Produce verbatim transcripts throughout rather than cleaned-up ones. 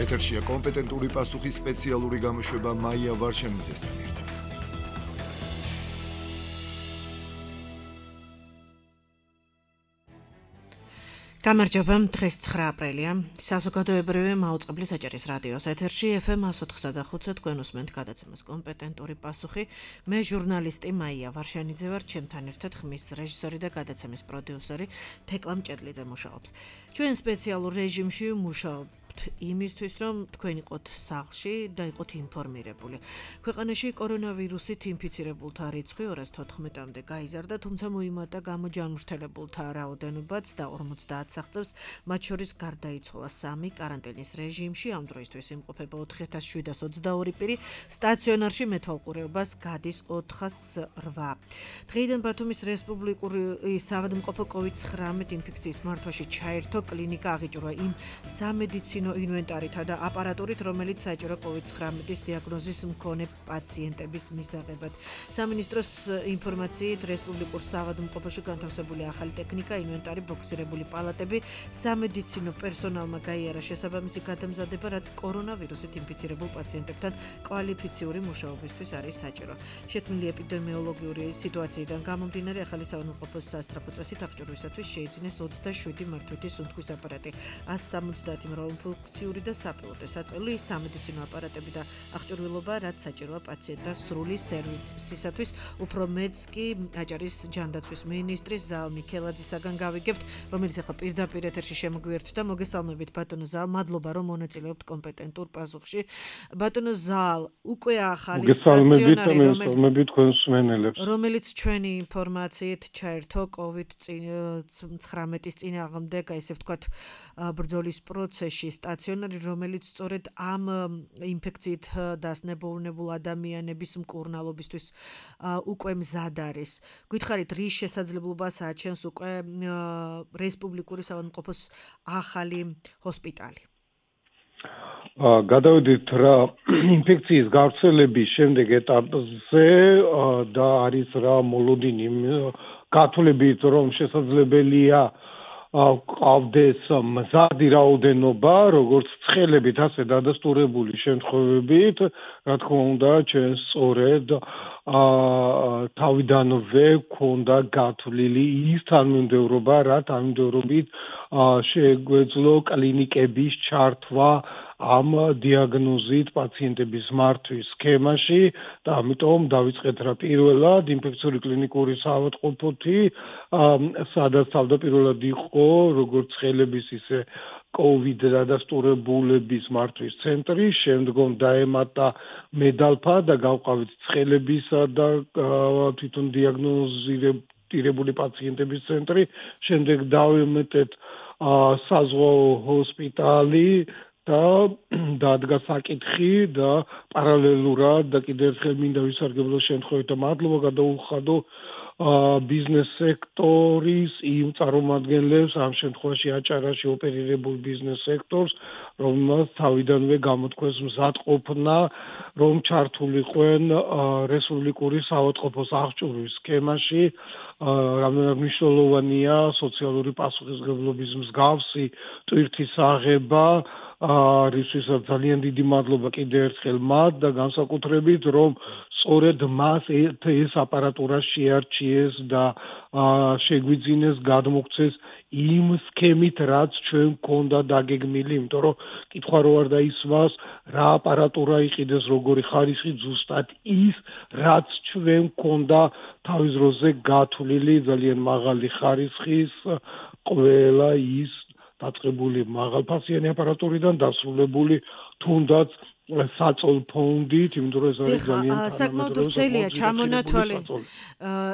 ეთერშია კომპეტენტური პასუხის სპეციალური გამოშვება მაია ვარშანიძესთან ერთად. გამარჯობა, დღეს ცხრა აპრილია. საზოგადოებრივი მაუწყებლის აჭარის რადიოს ეთერში ეფ ემ εκατს ოთხმოცდახუთზე თქვენ უსმენთ გადაცემას კომპეტენტური პასუხი. მე ჟურნალისტი მაია ვარშანიძე ვარ, ჩემთან ერთად ხმის რეჟისორი და გადაცემის პროდიუსერი თეკლა მჭედლიძე მუშაობს. ჩვენ სპეციალურ რეჟიმში მუშაობთ იმისთვის, რომ თქვენ იყოთ სახლში და იყოთ ინფორმირებული. ქვეყანაში კორონავირუსით ინფიცირებულთა რიცხვი ორას თოთხმეტამდე გაიზარდა, თუმცა მოიმატა გამოჯანმრთელებულთა რაოდენობაც და ორმოცდაათ აღწევს, მათ შორის გარდაიცვალა სამი კარანტინის რეჟიმში, ამ დროისთვის იმყოფება ოთხი ათას შვიდას ოცდაორი პირი, სტაციონარში მეთვალყურეობას გადის ოთხასი რვა. დღეიდან ბათუმის რესპუბლიკური საავადმყოფო კოვიდ ცხრამეტ ინფექციის მართვაში ჩაერთო კლინიკა აღიჭრვა იმ სამედიცინო ინვენტარითა და აპარატურით, რომელიც საჭირო კოვიდ ცხრამეტის დიაგნოზის მქონე პაციენტების მისაღებად. სამინისტროს ინფორმაციით, რესპუბლიკურ საავადმყოფოში განთავსებული ახალი ტექნიკა, ინვენტარი, ბოქსირებული პალატები, სამედიცინო პერსონალმა გაიარა შესაბამისი გადამზადება, რაც კორონავირუსით ინფიცირებულ პაციენტებთან კვალიფიციური მუშაობისთვის არის საჭირო. შექმნილი ეპიდემიოლოგიური სიტუაციიდან გამომდინარე, ახალი საავადმყოფოს სასწრაფო წესით აღჭურვისათვის შეიძინეს ოცდაშვიდი მართვითი სუნთქვის აპარატი, ასი სამოცდაათი მრავალფუნქციური და საპილოტე საწეული სამედიცინო აპარატები და აღჭურვილობა, რაც საჭიროა პაციენტთა სრული სერვისისათვის. უფრო მეც კი აჭარის ჯანდაცვის მინისტრის ზალ მიქელაძისაგან გავიგებთ, რომელიც ახლა პირდაპირ ეთერში შემოგვიერთდა. მოგესალმებით ბატონო ზალ, მადლობა რომ მონაწილეობთ კომპეტენტურ პასუხში. ბატონო ზალ, უკვე ახალი სტაციონარი, რომელიც ჩვენი ინფორმაციით ჩაერთო კოვიდ ცხრამეტის წინააღმდეგ, ესე ვთქვათ, ბრძოლის პროცესში, სტაციონარი, რომელიც სწორედ ამ ინფექციით დასნებოვნებულ ადამიანების მკურნალობისთვის უკვე მზად არის. გითხარით, რის შესაძლებლობას აჩენს უკვე რესპუბლიკური საავადმყოფოს ახალი ჰოსპიტალი? გადავედით რა ინფექციის გავრცელების შემდეგ ეტაპზე და არის რა მოლოდინი გათვლებით, რომ შესაძლებელია ყავდეს მზადი რაოდენობა, როგორც ცხელებით, ასე დადასტურებული შემთხვევებით, რა თქმა უნდა, ჩვენ სწორედ თავიდანვე გვქონდა გათვლილი ის თანმიმდევრობა, რა თანმიმდევრობით შეგვეძლო კლინიკების ჩართვა ამ დიაგნოზით პაციენტების მართვის სქემაში და ამიტომ დავიწყეთ რა პირველად ინფექციური კლინიკური საავადმყოფოთი, სადაც თავდაპირველად იყო როგორც ცხელების ისე კოვიდ დადასტურებულების მართვის ცენტრი, შემდგომ დაემატა მედალფა და გავყავით ცხელებისა და თვითონ დიაგნოზირებული პაციენტების ცენტრი, შემდეგ დავემატეთ საზღვაო ჰოსპიტალი და დადგა საკითხი და პარალელურად და კიდევ ერთხელ მინდა ვისარგებლო შემთხვევით და მადლობა გადაუხადო ბიზნეს სექტორის იმ წარმომადგენლებს, ამ შემთხვევაში აჭარაში ოპერირებულ ბიზნეს სექტორს, რომელმაც თავიდანვე გამოთქვეს მზადყოფნა, რომ ჩართულიყვენ რესპუბლიკური საავადმყოფოს აღჭურვის სქემაში. რამდენად მნიშვნელოვანია სოციალური პასუხისმგებლობის მსგავსი ტვირთის აღება, რისთვისაც ძალიან დიდი მადლობა კიდევ ერთხელ მათ და განსაკუთრებით, რომ სწორედ მას ეს აპარატურა შეარჩიეს და შეგვიძინეს გადმოგვცეს იმ სქემით, რაც ჩვენ გქონდა დაგეგმილი, იმიტომ რომ კითხვა რო არ დაისვას, რა აპარატურა იყიდეს, როგორი ხარისხი, ზუსტად ის, რაც ჩვენ გქონდა თავის დროზე გათვლილი ძალიან მაღალი ხარისხის ყველა ის დაწყებული მაღალფასიანი აპარატურიდან დასრულებული თუნდაც საწოლ ფონდით, იმიტომ რომ ეს არის ძალიან საკმაოდ ვრცელია ჩამონათვალი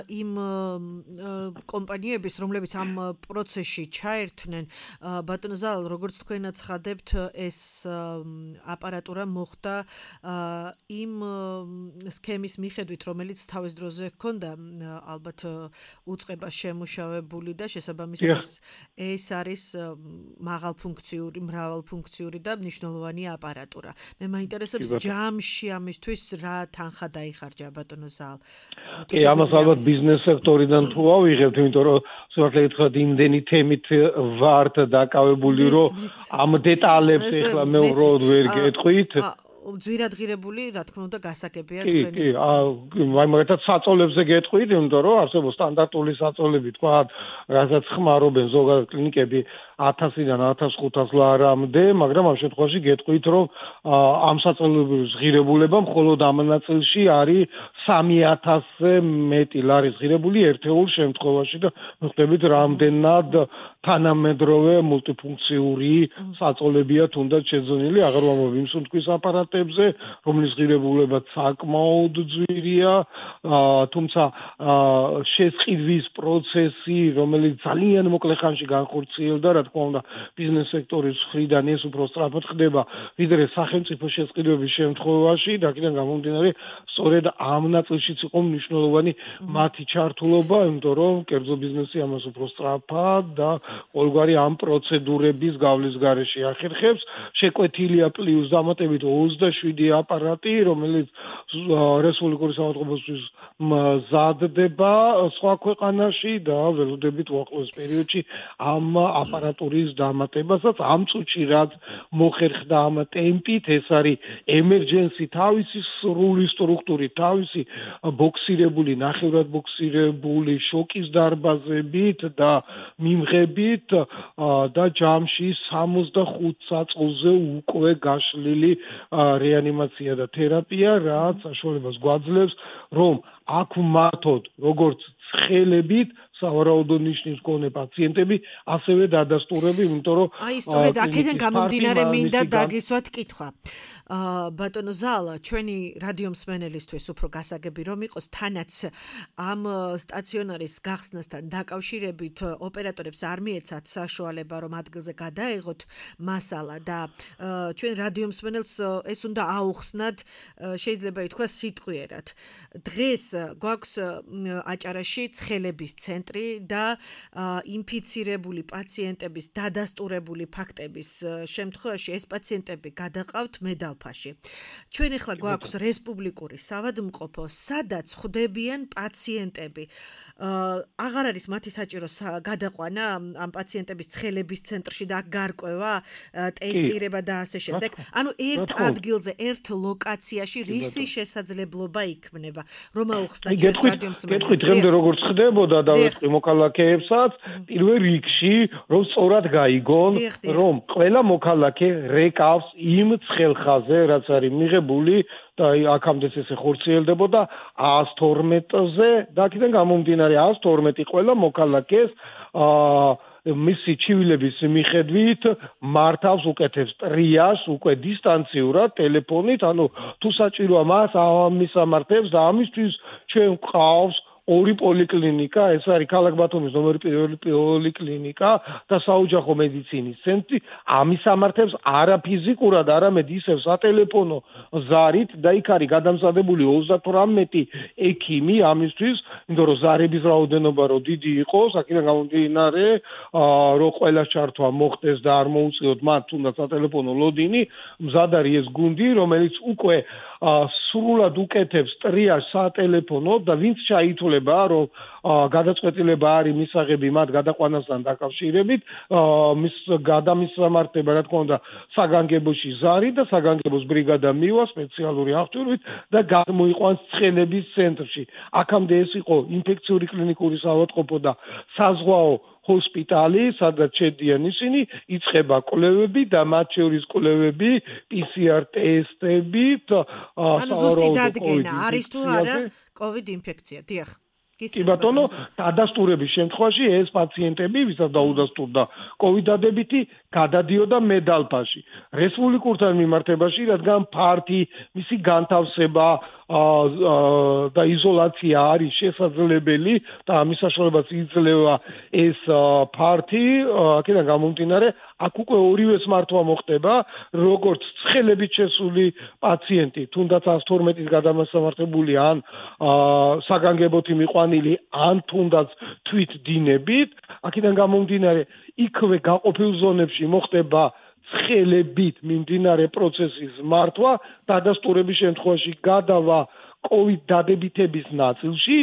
იმ კომპანიების, რომლებიც ამ პროცესში ჩაერთვნენ. ბატონო ზალ, როგორც თქვენაც ხადებთ, ეს აპარატურა მოხდა იმ სქემის მიხედვით, რომელიც თავის დროზე ჰქონდა ალბათ უწყება შემუშავებული და შესაბამისად ეს არის მაღალფუნქციური, მრავალფუნქციური და მნიშვნელოვანი აპარატურა. მე მაინტერესებს ჯამში ამისთვის რა თანხა დაიხარჯა ბატონო ზალ. კი, ამას ალბათ ბიზნეს სექტორიდან თუ ავიღებთ, იმიტომ რომ სულ თქვა იმდენი თემით ვართ დაკავებული, რომ ამ დეტალებს ეხლა მე უბრალოდ ვერ გეტყვით. ძვირადღირებული, რა თქმა უნდა, გასაგებია თქვენი. კი, კი, მაგალითად საწოლებზე გეტყვით, იმიტომ რომ არსებობს სტანდარტული საწოლები, თქვა, რასაც ხმარობენ ზოგადად კლინიკები ათასიდან ათას ხუთას ლარამდე, მაგრამ ამ შემთხვევაში გეტყვით, რომ ამ საწოლების ღირებულება მხოლოდ ამ ნაწილში არის სამი ათასზე მეტი ლარის ღირებული ერთეულ შემთხვევაში და მოხდებით რამდენად თანამედროვე მულტიფუნქციური საწოლებია თუნდაც შეძენილი, აღარ ვამბობ იმ სუნთქვის აპარატებზე, რომლის ღირებულება საკმაოდ ძვირია, თუმცა შესყიდვის პროცესი, რომელიც ძალიან მოკლე ხანში განხორციელდა, რა თქმა უნდა, ბიზნეს სექტორის მხრიდან ეს უფრო სწრაფად ხდება, ვიდრე სახელმწიფო შესყიდვების შემთხვევაში, და აქედან გამომდინარე, სწორედ ამ ნაწილშიც იყო მნიშვნელოვანი მათი ჩართულობა, იმიტომ რომ კერძო ბიზნესი ამას უფრო სწრაფად და ყოველგვარი ამ პროცედურების გავლის გარეშე ახერხებს. შეკვეთილია პლუს დამატებით ოცდაშვიდი აპარატი, რომელიც რესპუბლიკური საავადმყოფოსთვის მზადდება სხვა ქვეყანაში და ველოდებით უახლოეს პერიოდში ამ აპარატურის დამატებასაც. ამ წუთში რაც მოხერხდა ამ ტემპით, ეს არის ემერჯენსი თავისი სრული სტრუქტურით, თავისი ბოქსირებული, ნახევრად ბოქსირებული შოკის დარბაზებით და მიმღებით და ჯამში სამოცდახუთ საწყოზე უკვე გაშლილი რეანიმაცია და თერაპია, რაც საშუალებას გვაძლევს, რომ აქ მართოდ როგორც ცხელებით სავარაუდო ნიშნის მქონე პაციენტები ასევე დადასტურები, იმიტომ რომ აი სწორედ აქედან გამომდინარე მინდა დაგისვათ კითხვა. ბატონო ზალა, ჩვენი რადიო მსმენელისთვის უფრო გასაგები რომ იყოს, თანაც ამ სტაციონარის გახსნასთან დაკავშირებით ოპერატორებს არ მიეცათ საშუალება რომ ადგილზე გადაეღოთ მასალა და ჩვენ რადიო მსმენელს ეს უნდა აუხსნათ, შეიძლება ითქვას სიტყვიერად. დღეს გვაქვს აჭარაში ცხელების ცენტრი და ინფიცირებული პაციენტების დადასტურებული ფაქტების შემთხვევაში ეს პაციენტები გადაყავთ მედალფაში. ჩვენ ახლა გვაქვს რესპუბლიკური საავადმყოფო, სადაც ხვდებიან პაციენტები. აღარ არის მათი საჭირო გადაყვანა ამ პაციენტების ცხელების ცენტრში და გარკვევა, ტესტირება და ასე შემდეგ. ანუ ერთ ადგილზე, ერთ ლოკაციაში რისი შესაძლებლობა იქნება, რომ აუხსნათ ჩვენს რადიო მსმენელს. გეტყვით, დღემდე როგორც ხდებოდა და მოქალაქეებსაც პირველ რიგში რომ სწორად გაიგონ, რომ ყველა მოქალაქე რეკავს იმ ცხელხაზე, რაც არის მიღებული და აქამდე ესე ხორციელდებოდა ას თორმეტზე და აქედან გამომდინარე ას თორმეტი ყველა მოქალაქეს მისი ჩივილების მიხედვით მართავს უკეთებს ტრიაჟს უკვე დისტანციურად ტელეფონით, ანუ თუ საჭიროა მას ამისამართებს და ამისთვის ჩვენ გვყავს ორი პოლიკლინიკა, ეს არის ქალაქ ბათუმის ნომერი პირველი პოლიკლინიკა და საოჯახო მედიცინის ცენტრი. ამისამართებს არა ფიზიკურად, არამედ ისევ სატელეფონო ზარით და იქ არის გადამზადებული ოცდათვრამეტი ექიმი ამისთვის, იმიტომ რომ ზარების რაოდენობა რო დიდი იყოს, აქედან გამომდინარე, რომ ყველა ჩართვა მოხდეს და არ მოუწიოთ მათ თუნდაც სატელეფონო ლოდინი, მზად არის ეს გუნდი, რომელიც უკვე სრულად უკეთებს ტრიაჟს სატელეფონო და ვინც ჩაითვლება, რომ გადაწყვეტილება არის მისაღები მათ გადაყვანასთან დაკავშირებით, მის გადამისამართება, რა თქმა უნდა, საგანგებოში ზარი და საგანგებოს ბრიგადა მივა სპეციალური აღჭურვით და გამოიყვანს ცხელების ცენტრში. აქამდე ეს იყო ინფექციური კლინიკური საავადმყოფო და საზღვაო ჰოსპიტალი, სადაც შედიან ისინი, იწყება კვლევები და მათ შორის კვლევები პი სი არ ტესტებით, ანუ ზუსტი დადგენა არის თუ არა კოვიდ ინფექცია, დიახ. კი ბატონო, დადასტურების შემთხვევაში ეს პაციენტები, ვისაც დაუდასტურდა კოვიდ დადებითი, გადადიოდა მედალფაში. რესპუბლიკურთან მიმართებაში, რადგან ფართი, მისი განთავსება და იზოლაცია არის შესაძლებელი და ამის საშუალებაც იძლევა ეს ფართი, აქედან გამომდინარე, აქ უკვე ორივეს მართვა მოხდება, როგორც ცხელებით შესული პაციენტი, თუნდაც ას თორმეტის გადამასამართებული ან საგანგებოთი მიყვანილი, ან თუნდაც თვით დინებით, აქედან გამომდინარე, იქვე გაყოფილ ზონებში მოხდება ცხელებით მიმდინარე პროცესის მართვა დადასტურების შემთხვევაში გადავა COVID დადებითების ნაწილში,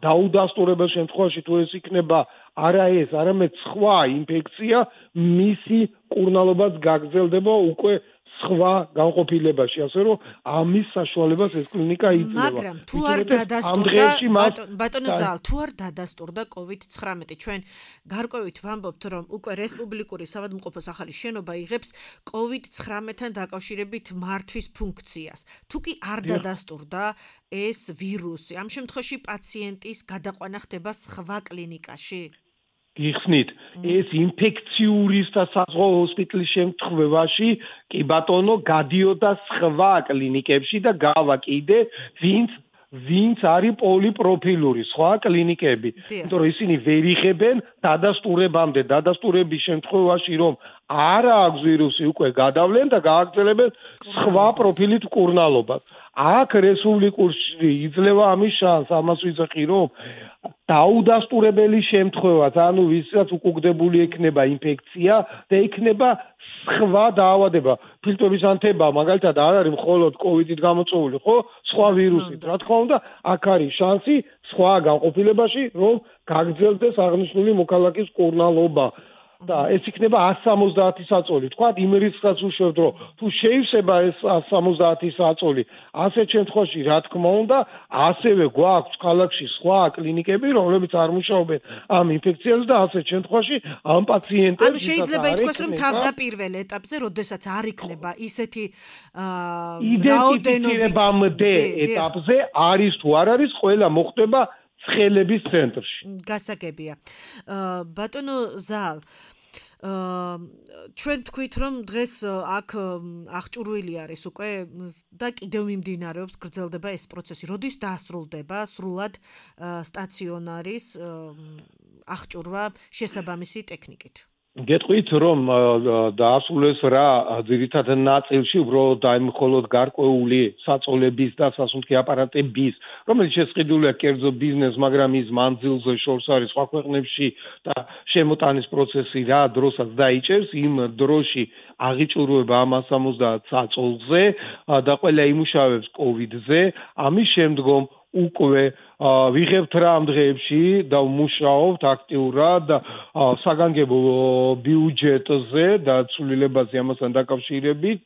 დაუდასტურების შემთხვევაში თუ ეს იქნება არა ეს, არამედ სხვა ინფექცია, მისი კურნალობაც გაგრძელდება უკვე სხვა განყოფილებაში, ასე რომ ამის საშუალებას ეს კლინიკა იძლევა. მაგრამ თუ არ დადასტურდა ბატონო ზალ, თუ არ დადასტურდა COVID nineteen, ჩვენ გარკვევით ვამბობთ, რომ უკვე რესპუბლიკური საავადმყოფოს ახალი შენობა იღებს COVID nineteen-თან დაკავშირებით მართვის ფუნქციას. თუ კი არ დადასტურდა ეს ვირუსი, ამ შემთხვევაში პაციენტის გადაყვანა ხდება სხვა კლინიკაში? გიხსნით, ეს ინფექციური და საზღვაო ჰოსპიტალის შემთხვევაში კი ბატონო გადიოდა სხვა კლინიკებში და გავა კიდე ვინც ვინც არის პოლიპროფილური სხვა კლინიკები. იმიტომ რომ ისინი ვერ იღებენ დადასტურებამდე, დადასტურების შემთხვევაში რომ არა აქვს ვირუსი უკვე გადავლენ და გააგრძელებენ სხვა პროფილით მკურნალობას. აქ რესპუბლიკურში იძლევა ამის შანსს, ამას ვიძახი რომ დაუდასტურებელი შემთხვევაც, ანუ ვისაც უკუგდებული ექნება ინფექცია და ექნება სხვა დაავადება, ფილტვების ანთება, მაგალითად არ არის მხოლოდ COVID-ით გამოწვეული, ხო? სხვა ვირუსით. რა თქმა უნდა, აქ არის შანსი სხვა განყოფილებაში, რომ გაგრძელდეს აღნიშნული მოქალაქის მკურნალობა. და ეს იქნება one seventy საწოლი. თქვა იმ რიცხვს უშვებთ, რომ თუ შეივსება ეს one seventy საწოლი, ასეთ შემთხვევაში რა თქმა უნდა, ასევე გვაქვს ქალაქში სხვა კლინიკები, რომლებიც არ მუშაობენ ამ ინფექციაზე და ასეთ შემთხვევაში ამ პაციენტებს ანუ შეიძლება ითქვას, რომ თავდაპირველ ეტაპზე, როდესაც არ იქნება ისეთი რაოდენობამდე ეტაპზე არის თუ არ არის, ყველა მოხდება ცხელების ცენტრში. გასაგებია. ბატონო ზალ, ჩვენ თქვით რომ დღეს აქ აღჭურვილი არის უკვე და კიდევ მიმდინარეობს, გრძელდება ეს პროცესი. როდის დაასრულდება სრულად სტაციონარის აღჭურვა შესაბამისი ტექნიკით? გეტყვით რომ დაასრულეს რა ძირითადად ნაწილში უბრალოდ აი მხოლოდ გარკვეული საწოლების და სასუნთქი აპარატების, რომელიც შესყიდულია კერძო ბიზნეს, მაგრამ ის მანძილზე შორს არის სხვა ქვეყნებში და შემოტანის პროცესი რა დროსაც დაიჭერს, იმ დროში აღიჭურვება ამ one seventy საწოლზე და ყველა იმუშავებს COVID-ზე, ამის შემდგომ უკვე ვიღებთ რა ამ დღეებში და ვმუშაობთ აქტიურად საგანგებო ბიუჯეტზე და ცვლილებაზე ამასთან დაკავშირებით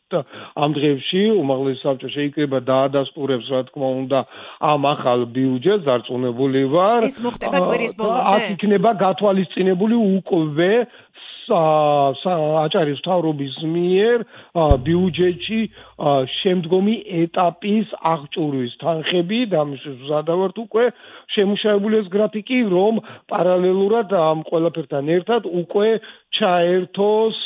ამ დღეებში უმაღლესი საბჭო შეიკრიბა დაადასტურებს რა თქმა უნდა ამ ახალ ბიუჯეტს დარწმუნებული ვარ ეს მოხდება კვირის ბოლომდე აქ იქნება გათვალისწინებული უკვე აჭარის მთავრობის მიერ ბიუჯეტში შემდგომი ეტაპის აღჭურვის თანხები და ამის ვზადავართ უკვე შემუშავებული ეს გრაფიკი რომ პარალელურად ამ ყველაფერთან ერთად უკვე ჩაერთოს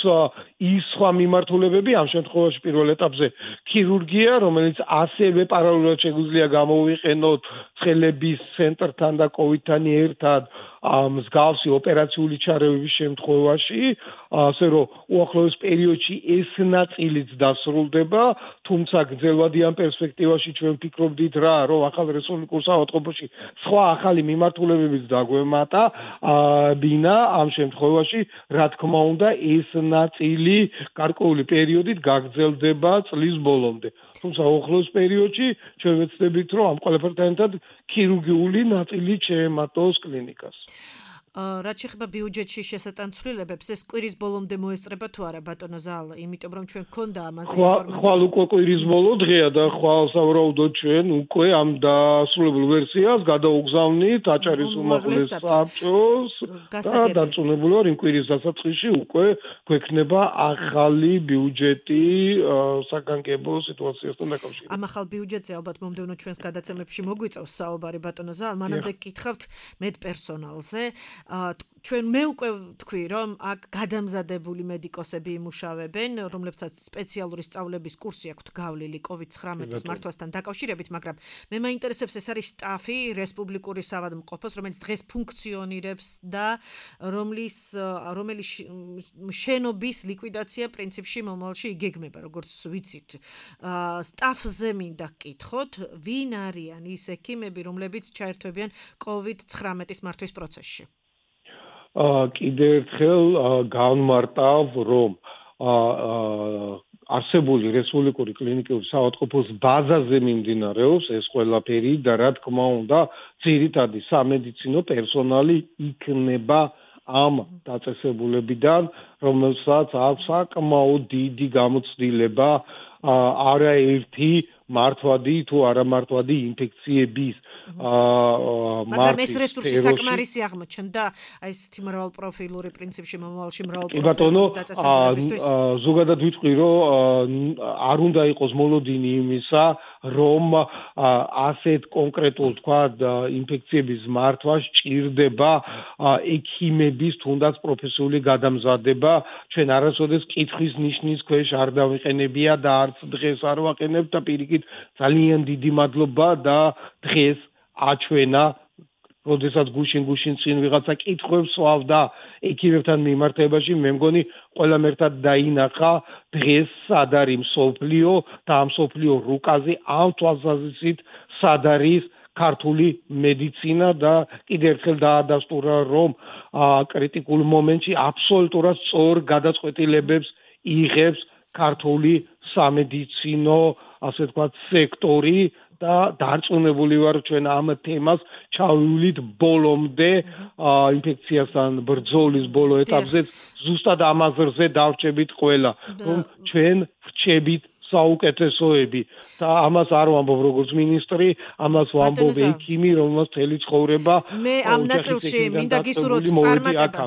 ის სხვა მიმართულებები ამ შემთხვევაში პირველ ეტაპზე ქირურგია რომელიც ასევე პარალელურად შეგვიძლია გამოვიყენოთ ცხელების ცენტრთან და COVID-თან ერთად მსგავსი ოპერაციული ჩარევების შემთხვევაში ასე რომ უახლოეს პერიოდში ეს ნაწილიც დასრულდება თუმცა გრძელვადიან პერსპექტივაში ჩვენ ვფიქრობდით რა რომ ახალ რესპუბლიკურ საავადმყოფოში სხვა ახალი მიმართულებებიც დაგვემატა ბინა ამ შემთხვევაში რა თქმა უნდა ეს ნაწილი გარკვეული პერიოდით გაგრძელდება წლის ბოლომდე თუმცა უახლოეს პერიოდში ჩვენ ვეცდებით რომ ამ ყველაფერთან ერთად ქირურგიული ნაწილი შეემატოს კლინიკას რაც შეეხება ბიუჯეტში შესატანცვლილებებს ეს კვირის ბოლომდე მოესწრება თუ არა ბატონო ზალ იმიტომ რომ ჩვენ გქონდა ამაზე ინფორმაცია ხვალ უკვე კვირის ბოლო დღეა და ხვალ სავარაუდოდ ჩვენ უკვე ამ დასრულებულ ვერსიას გადაუგზავნით აჭარის უმაღლეს საბჭოს და დარწმუნებული ვარ იმ კვირის დასაწყისში უკვე გვექნება ახალი ბიუჯეტი საგანგებო სიტუაციასთან დაკავშირებით ამ ახალ ბიუჯეტზე ალბათ მომდევნო ჩვენს გადაცემებში მოგვიწევს საუბარი ბატონო ზალ მანამდე გითხავთ მედპერსონალზე ჩვენ მე უკვე ვთქვი რომ აქ გადამზადებული მედიკოსები იმუშავებენ რომლებსაც სპეციალური სწავლების კურსი აქვთ გავლილი COVID nineteen-ის მართვასთან დაკავშირებით მაგრამ მე მაინტერესებს ეს არის სტაფი რესპუბლიკური საავადმყოფოს რომელიც დღეს ფუნქციონირებს და რომლის რომელიც შენობის ლიკვიდაცია პრინციპში მომავალში იგეგმება როგორც ვიცით სტაფზე მინდა გკითხოთ ვინ არიან ის ექიმები რომლებიც ჩაერთვებიან COVID nineteen-ის მართვის პროცესში კიდევ ერთხელ განმარტავ რომ არსებული რესპუბლიკური კლინიკური საავადმყოფოს ბაზაზე მიმდინარეობს ეს ყველაფერი და რა თქმა უნდა ძირითადი სამედიცინო პერსონალი იქნება ამ დაწესებულებიდან, რომელსაც აქვს საკმაოდ დიდი გამოცდილება არაერთი მართვადი თუ არამართვადი ინფექციების მაგრამ ეს რესურსი საკმარისი აღმოჩნდა აი ესეთი მრავალპროფილური პრინციპში მომავალში მრავალპროფილური ბატონო ზოგადად ვიტყვი რომ არ უნდა იყოს მოლოდინი იმისა რომ ასეთ კონკრეტულ თქვა ინფექციების მართვა სჭირდება ექიმების თუნდაც პროფესიული გადამზადება ჩვენ არასოდეს კითხვის ნიშნის ქვეშ არ დავიყენებია და არც დღეს არ ვაყენებ და პირიქით ძალიან დიდი მადლობა და დღეს აჩვენა როდესაც გუშინ გუშინ წინ ვიღაცა კითხვებს სვავდა ექიმებთან მიმართებაში მე მგონი ყველამ ერთად დაინახა დღეს სად არის მსოფლიო და ამ მსოფლიო რუკაზე ამ თვალსაზრისით სად არის ქართული მედიცინა და კიდევ ერთხელ დაადასტურა რომ კრიტიკულ მომენტში აბსოლუტურად სწორ გადაწყვეტილებებს იღებს ქართული სამედიცინო ასე ვთქვათ სექტორი და დარწმუნებული ვარ ჩვენ ამ თემას ჩავივლით ბოლომდე ინფექციასთან ბრძოლის ბოლო ეტაპზე ზუსტად ამაზრზე დავრჩებით ყველა რომ ჩვენ ვრჩებით საუკეთესოები და ამას არ ვამბობ როგორც მინისტრი ამას ვამბობ ექიმი რომელსაც მთელი ცხოვრება მე ამ ნაწილში მინდა გისურვოთ წარმატება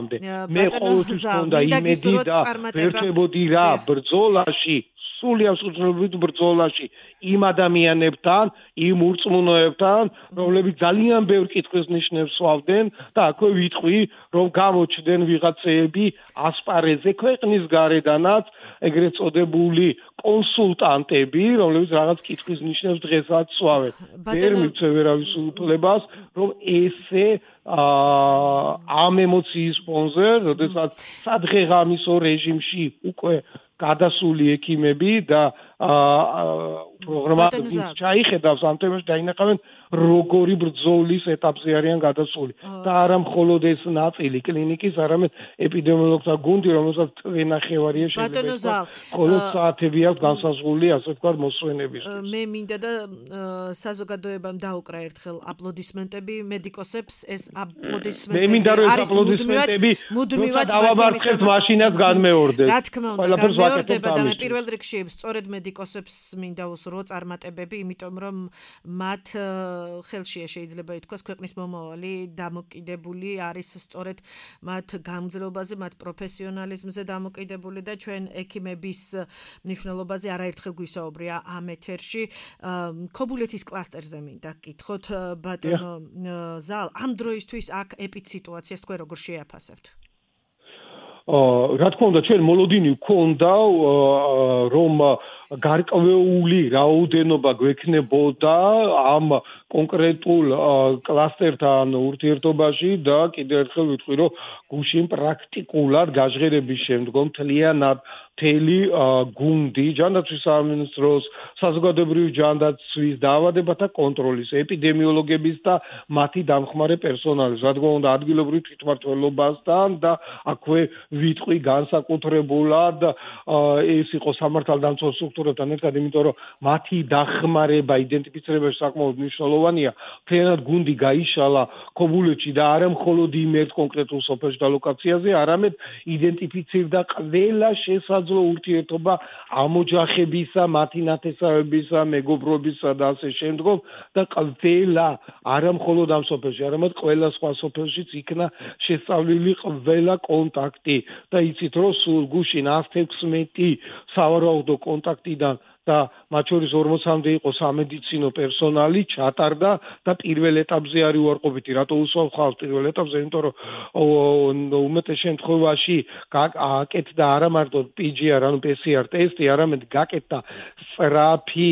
მე ყოველთვის მქონდა იმედი და ვერჩებოდი რა ბრძოლაში სულიერ სუძლებრივ ბრძოლაში იმ ადამიანებთან, იმ ურწმუნოებთან, რომლებიც ძალიან ბევრ კითხვის ნიშნებს სვავდნენ და აქვე ვიტყვი, რომ გამოჩნდნენ ვიღაცეები ასპარეზზე ქვეყნის გარედანაც, ეგრეთ წოდებული კონსულტანტები, რომლებიც რაღაც კითხვის ნიშნებს დღესაც სვავენ. ვერ მივცე ვერავის უფლებას, რომ ესე ამ ემოციის ფონზე, როდესაც სადღეღამისო რეჟიმში უკვე გადასული ექიმები და პროგრამატები ჩაიხედავს ამ თემაში დაინახავენ როგორი ბრძოლის ეტაპზე არიან გადასული და არა მხოლოდ ეს ნაწილი კლინიკის, არამედ ეპიდემიოლოგთა გუნდი, რომელსაც თვენახევარია შეიძლება მხოლოდ საათები აქვს განსაზღვრული, ასე ვთქვათ, მოსვენების. მე მინდა და საზოგადოებამ დაუკრა ერთხელ აპლოდისმენტები მედიკოსებს, ეს აპლოდისმენტები მე მინდა რომ ეს აპლოდისმენტები მუდმივად დავაბარხებთ მაშინაც განმეორდეს. რა თქმა უნდა, განმეორდება და მე პირველ რიგში სწორედ მედიკოსებს მინდა უსურვო წარმატებები, იმიტომ რომ მათ ხელშია შეიძლება ითქვას ქვეყნის მომავალი დამოკიდებული არის სწორედ მათ გამძლეობაზე, მათ პროფესიონალიზმზე დამოკიდებული და ჩვენ ექიმების მნიშვნელობაზე არაერთხელ გვისაუბრია ამ ეთერში. ქობულეთის კლასტერზე მინდა გკითხოთ ბატონო ზალ, ამ დროისთვის აქ ეპიდსიტუაციას თქვენ როგორ შეაფასებთ? რა თქმა უნდა, ჩვენ მოლოდინი გვქონდა რომ გარკვეული რაოდენობა გვექნებოდა ამ კონკრეტულ კლასტერთან ურთიერთობაში და კიდევ ერთხელ ვიტყვი, რომ გუშინ პრაქტიკულად გაჟღერების შემდგომ მთლიანად მთელი გუნდი ჯანდაცვის სამინისტროს, საზოგადოებრივი ჯანდაცვის დაავადებათა კონტროლის, ეპიდემიოლოგების და მათი დამხმარე პერსონალის, რა თქმა უნდა, ადგილობრივ თვითმმართველობასთან და აქვე ვიტყვი განსაკუთრებულად ეს იყო სამართალდამცავ სტრუქტურებთან ერთად, იმიტომ რომ მათი დახმარება იდენტიფიცირებაში საკმაოდ მნიშვნელოვანია. მთლიანად გუნდი გაიშალა ქობულეთში და არა მხოლოდ იმ ერთ კონკრეტულ სოფელში და ლოკაციაზე, არამედ იდენტიფიცირდა ყველა შესაძლო ურთიერთობა ამოჯახებისა, მათი ნათესავებისა, მეგობრობისა და ასე შემდგომ და ყველა არა მხოლოდ ამ სოფელში, არამედ ყველა სხვა სოფელშიც იქნა შესწავლილი ყველა კონტაქტი და იცით რომ სულ გუშინ ათს ათექვსმეტი სავარაუდო კონტაქტიდან და მათ შორის ორმოცამდე იყო სამედიცინო პერსონალი ჩატარდა და პირველ ეტაპზე არის უარყოფითი. რატო უსვამ ხალხს პირველ ეტაპზე? იმიტომ რომ უმეტეს შემთხვევაში გაკეთდა არა მარტო პი ჯი არ, ანუ პი სი არ ტესტი, არამედ გაკეთდა სწრაფი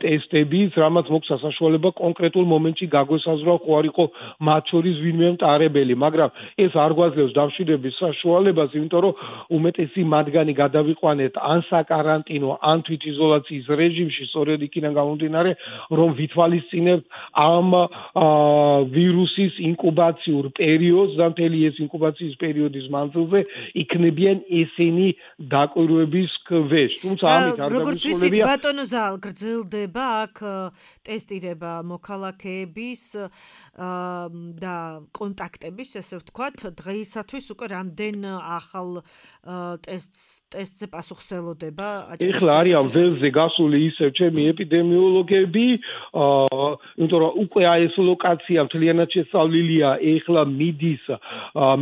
ტესტებიც, რამაც მოგვცა საშუალება კონკრეტულ მომენტში გაგვესაზღვრა ხო არ იყო მათ შორის ვინმე მტარებელი, მაგრამ ეს არ გვაძლევს დამშვიდების საშუალებას, იმიტომ რომ უმეტესი მათგანი გადავიყვანეთ ან საკარანტინო, ან თვითიზოლაციაში ინკუბაციის რეჟიმში, სწორედ იქიდან გამომდინარე, რომ ვითვალისწინებთ ამ ვირუსის ინკუბაციურ პერიოდს და მთელი ეს ინკუბაციის პერიოდის მანძილზე იქნებიან ესენი დაკვირვების ქვეშ. თუმცა ამით არ როგორც ვიცით, ბატონო ზალ, გრძელდება აქ ტესტირება მოქალაქეების და კონტაქტების, ესე ვთქვათ, დღეისათვის უკვე რამდენ ახალ ტესტს ტესტზე პასუხსელოდება? ეხლა არიან ველზე გასული ისევ ჩემი ეპიდემიოლოგები, იმიტომ რომ უკვე აი ეს ლოკაცია მთლიანად შესწავლილია, ეხლა მიდის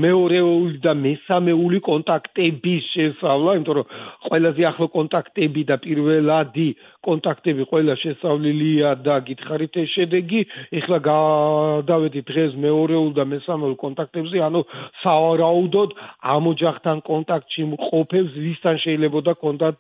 მეორეული და მესამეული კონტაქტების შესწავლა, იმიტომ რომ ყველაზე ახლო კონტაქტები და პირველადი კონტაქტები ყველა შესწავლილია და გითხარით ეს შედეგი, ეხლა გადავედით დღეს მეორეულ და მესამეულ კონტაქტებზე, ანუ სავარაუდოდ ამ ოჯახთან კონტაქტში მყოფებს, ვისთან შეიძლებოდა კონდათ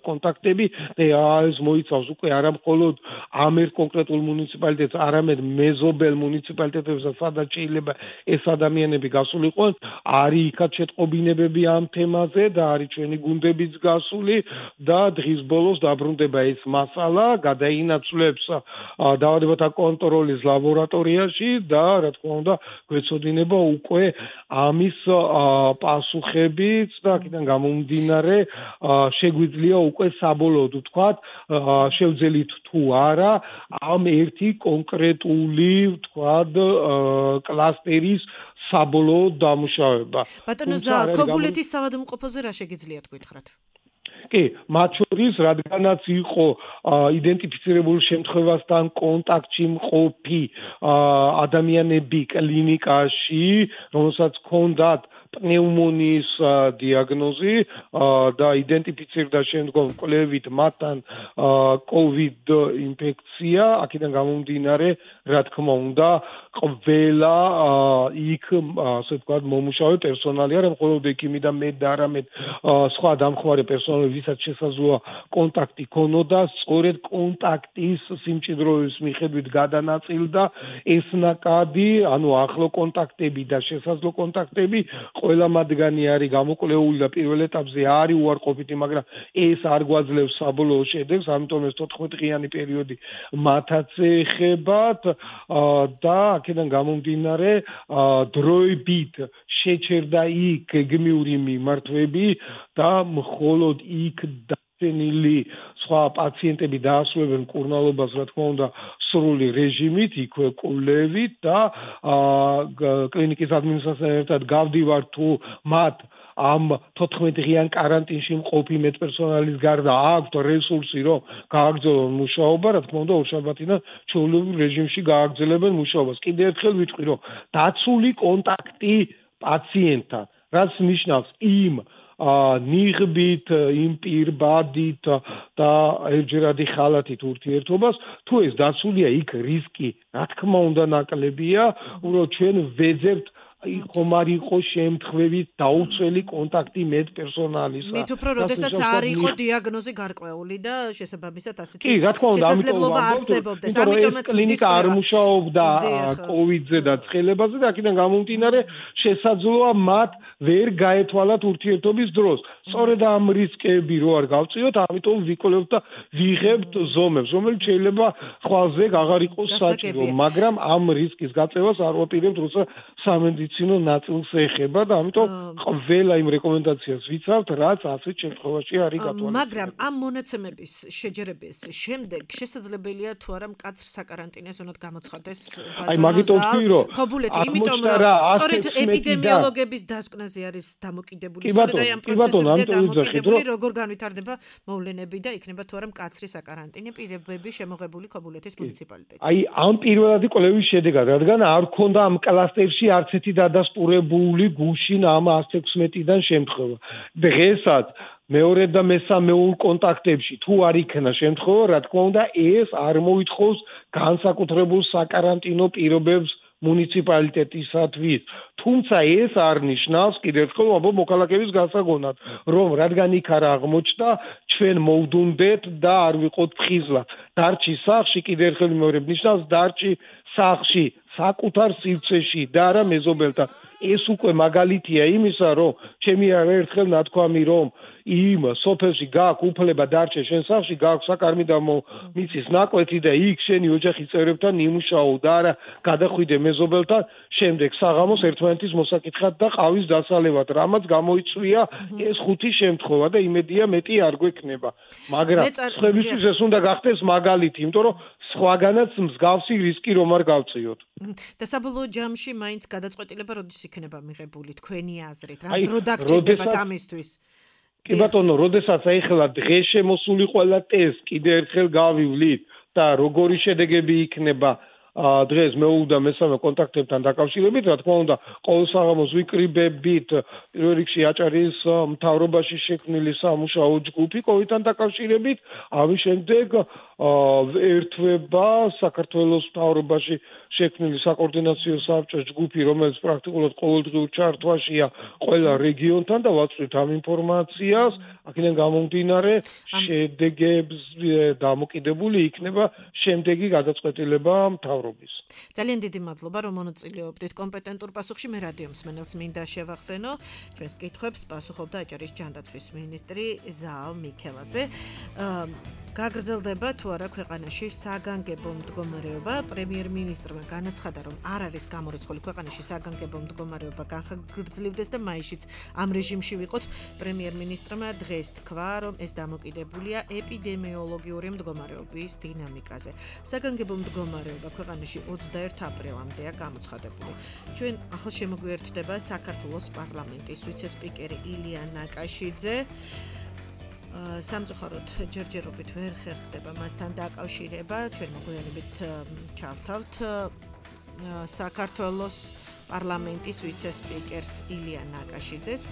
კონტაქტები და ეს მოიცავს უკვე არა მხოლოდ ამ ერთ კონკრეტულ მუნიციპალიტეტს, არამედ მეზობელ მუნიციპალიტეტებსაც, სადაც შეიძლება ეს ადამიანები გასულიყვნენ, არის იქაც შეტყობინებები ამ თემაზე და არის ჩვენი გუნდებიც გასული და დღის ბოლოს დაბრუნდება ეს მასალა, გადაინაცვლებს დაავადებათა კონტროლის ლაბორატორიაში და რა თქმა უნდა გვეცოდინება უკვე ამის პასუხებიც და აქედან გამომდინარე შეგვიძლია უკვე საბოლოოდ ვთქვათ, შევძელით თუ არა ამ ერთი კონკრეტული ვთქვათ კლასტერის საბოლოო დამუშავება. ბატონო ზალ, ქობულეთის საავადმყოფოზე რა შეგიძლიათ გითხრათ? კი, მათ შორის რადგანაც იყო იდენტიფიცირებულ შემთხვევასთან კონტაქტში მყოფი ადამიანები კლინიკაში, რომელსაც ჰქონდათ პნეუმონიის დიაგნოზი და იდენტიფიცირდა შემდგომ კვლევით მათთან COVID ინფექცია, აქედან გამომდინარე, რა თქმა უნდა, ყველა იქ, ასე ვთქვათ, მომუშავე პერსონალი არა მხოლოდ ექიმი და მე და არამედ სხვა დამხმარე პერსონალი, ვისაც შესაძლოა კონტაქტი ქონოდა, სწორედ კონტაქტის სიმჭიდროვის მიხედვით გადანაწილდა ეს ნაკადი, ანუ ახლო კონტაქტები და შესაძლო კონტაქტები, ყველა მათგანი არის გამოკვლეული და პირველ ეტაპზე არის უარყოფითი, მაგრამ ეს არ გვაძლევს საბოლოო შედეგს, ამიტომ ეს თოთხმეტ-დღიანი პერიოდი მათაც ეხებათ და აქედან გამომდინარე დროებით შეჩერდა იქ გეგმიური მიმართვები და მხოლოდ იქ დაცენილი სხვა პაციენტები დაასრულებენ მკურნალობას, რა თქმა უნდა, სრული რეჟიმით, იქვე კვლევით და კლინიკის ადმინისტრაციასთან ერთად გავდივართ თუ მათ ამ თოთხმეტ-დღიან კარანტინში მყოფი მედპერსონალის გარდა აქვთ რესურსი, რომ გააგრძელონ მუშაობა, რა თქმა უნდა, ორშაბათიდან ჩვეულებრივ რეჟიმში გააგრძელებენ მუშაობას. კიდევ ერთხელ ვიტყვი, რომ დაცული კონტაქტი პაციენტთან, რაც ნიშნავს იმ ნიღბით, იმ პირბადით და ერთჯერადი ხალათით ურთიერთობას, თუ ეს დაცულია, იქ რისკი, რა თქმა უნდა, ნაკლებია, რომ ჩვენ ვეძებთ ხომ არ იყო შემთხვევით დაუცველი კონტაქტი მედპერსონალისა. მით უფრო, როდესაც არ იყო დიაგნოზი გარკვეული და შესაბამისად ასეთი კი, რა თქმა უნდა, შესაძლებლობა არსებობდეს. ამიტომაც კლინიკა არ მუშაობდა კოვიდზე და ცხელებაზე და აქედან გამომდინარე შესაძლოა მათ ვერ გაეთვალათ ურთიერთობის დროს. სწორედ ამ რისკები რო არ გავწიოთ, ამიტომ ვიკვლევთ და ვიღებთ ზომებს, რომელიც შეიძლება ხვალზე აღარ იყოს საჭირო, მაგრამ ამ რისკის გაწევას არ ვაპირებთ, როცა სამედიცინო ნაწილს ეხება და ამიტომ ყველა იმ რეკომენდაციას ვიცავთ, რაც ასეთ შემთხვევაში არის გათვალისწინებული. მაგრამ ამ მონაცემების შეჯერების შემდეგ შესაძლებელია თუ არა მკაცრ საკარანტინეს უნდათ გამოცხადდეს აი მაგით ვთქვი, რომ ქობულეთი, იმიტომ რომ სწორედ ეპიდემიოლოგების დასკვნაზე არის დამოკიდებული, სწორედ აი ამ პროცესებზე დამოკიდებული, როგორ განვითარდება მოვლენები და იქნება თუ არა მკაცრი საკარანტინე პირებები შემოღებული ქობულეთის მუნიციპალიტეტში. აი ამ პირველადი კვლევის შედეგად, რადგან არ ქონდა ამ კლასტერში არც ერთი დადასტურებული გუშინ ამ ათს ექვსმეტიდან შემთხვევა. დღესაც მეორე და მესამეულ კონტაქტებში თუ არ იქნა შემთხვევა, რა თქმა უნდა, ეს არ მოითხოვს განსაკუთრებულ საკარანტინო პირობებს მუნიციპალიტეტისათვის. თუმცა ეს არ ნიშნავს, კიდევ ერთხელ ვამბობ მოქალაქეების გასაგონად, რომ რადგან იქ არ აღმოჩნდა, ჩვენ მოვდუნდეთ და არ ვიყოთ ფხიზლა. დარჩი სახლში, კიდევ ერთხელ მეორე ნიშნავს, დარჩი სახლში, საკუთარ სივრცეში და არა მეზობელთან. ეს უკვე მაგალითია იმისა, რომ ჩემი არა ერთხელ ნათქვამი, რომ იმ სოფელში გააქვს უფლება დარჩე შენ სახლში, გააქვს საკარმი და მიცის ნაკვეთი და იქ შენი ოჯახის წევრებთან იმუშაო და არა გადახვიდე მეზობელთან, შემდეგ საღამოს ერთმანეთის მოსაკითხად და ყავის დასალევად, რამაც გამოიწვია ეს ხუთი შემთხვევა და იმედია მეტი არ გვექნება. მაგრამ სხვებისთვის ეს უნდა გახდეს მაგალითი, იმიტომ რომ სხვაგანაც მსგავსი რისკი რომ არ გავწიოთ. და საბოლოო ჯამში მაინც გადაწყვეტილება როდის იქნება მიღებული თქვენი აზრით? რა დრო დაგჭირდებათ ამისთვის? კი ბატონო, როდესაც აი ხელა დღეს შემოსული ყველა ტესტ კიდე ერთხელ გავივლით და როგორი შედეგები იქნება დღეს მეუდა მესამე კონტაქტებთან დაკავშირებით, რა თქმა უნდა, ყოველ საღამოს ვიკრიბებით პირველ რიგში აჭარის მთავრობაში შექმნილი სამუშაო ჯგუფი კოვიდთან დაკავშირებით, ამის შემდეგ ერთვება საქართველოს მთავრობაში შექმნილი საკოორდინაციო საბჭოს ჯგუფი, რომელიც პრაქტიკულად ყოველდღიურ ჩართვაშია ყველა რეგიონთან და ვაწვდით ამ ინფორმაციას, აქედან გამომდინარე შედეგებს დამოკიდებული იქნება შემდეგი გადაწყვეტილება მთავრობის. ძალიან დიდი მადლობა, რომ მონაწილეობდით კომპეტენტურ პასუხში. მე რადიო მსმენელს მინდა შევახსენო, ჩვენს კითხვებს პასუხობდა აჭარის ჯანდაცვის მინისტრი ზაალ მიქელაძე. გაგრძელდება თუ არა ქვეყანაში საგანგებო მდგომარეობა. პრემიერ-მინისტრმა განაცხადა, რომ არ არის გამორიცხული ქვეყანაში საგანგებო მდგომარეობა განხორციელდეს და მაისშიც ამ რეჟიმში ვიყოთ. პრემიერ-მინისტრმა დღეს თქვა, რომ ეს დამოკიდებულია ეპიდემიოლოგიური მდგომარეობის დინამიკაზე. საგანგებო მდგომარეობა ქვეყანაში ოცდაერთი აპრილამდეა გამოცხადებული. ჩვენ ახლა შემოგვიერთდება საქართველოს პარლამენტის ვიცე-სპიკერი ილია ნაკაშიძე. სამწუხაროდ ჯერჯერობით ვერ ხერხდება მასთან დაკავშირება, ჩვენ მოგვიანებით ჩავთავთ საქართველოს პარლამენტის ვიცე-სპიკერს ილია ნაკაშიძეს.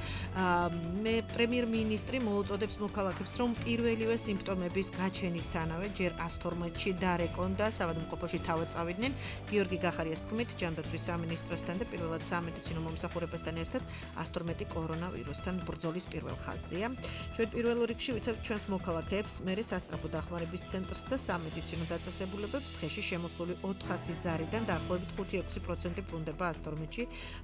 მე პრემიერ-მინისტრი მოუწოდებს მოქალაქებს, რომ პირველივე სიმპტომების გაჩენისთანავე ჯერ ას თორმეტში დარეკონ და საავადმყოფოში თავად წავიდნენ. გიორგი გახარიას თქმით, ჯანდაცვის სამინისტროსთან და პირველად სამედიცინო მომსახურებასთან ერთად ას თორმეტი კორონავირუსთან ბრძოლის პირველ ხაზზეა. ჩვენ პირველ რიგში ვიცავთ ჩვენს მოქალაქეებს, მერე სასწრაფო დახმარების ცენტრს და სამედიცინო დაწესებულებებს დღეში შემოსული ოთხასი ზარიდან დაახლოებით ხუთი ექვსი პროცენტი ბრუნდება ას თორმეტში,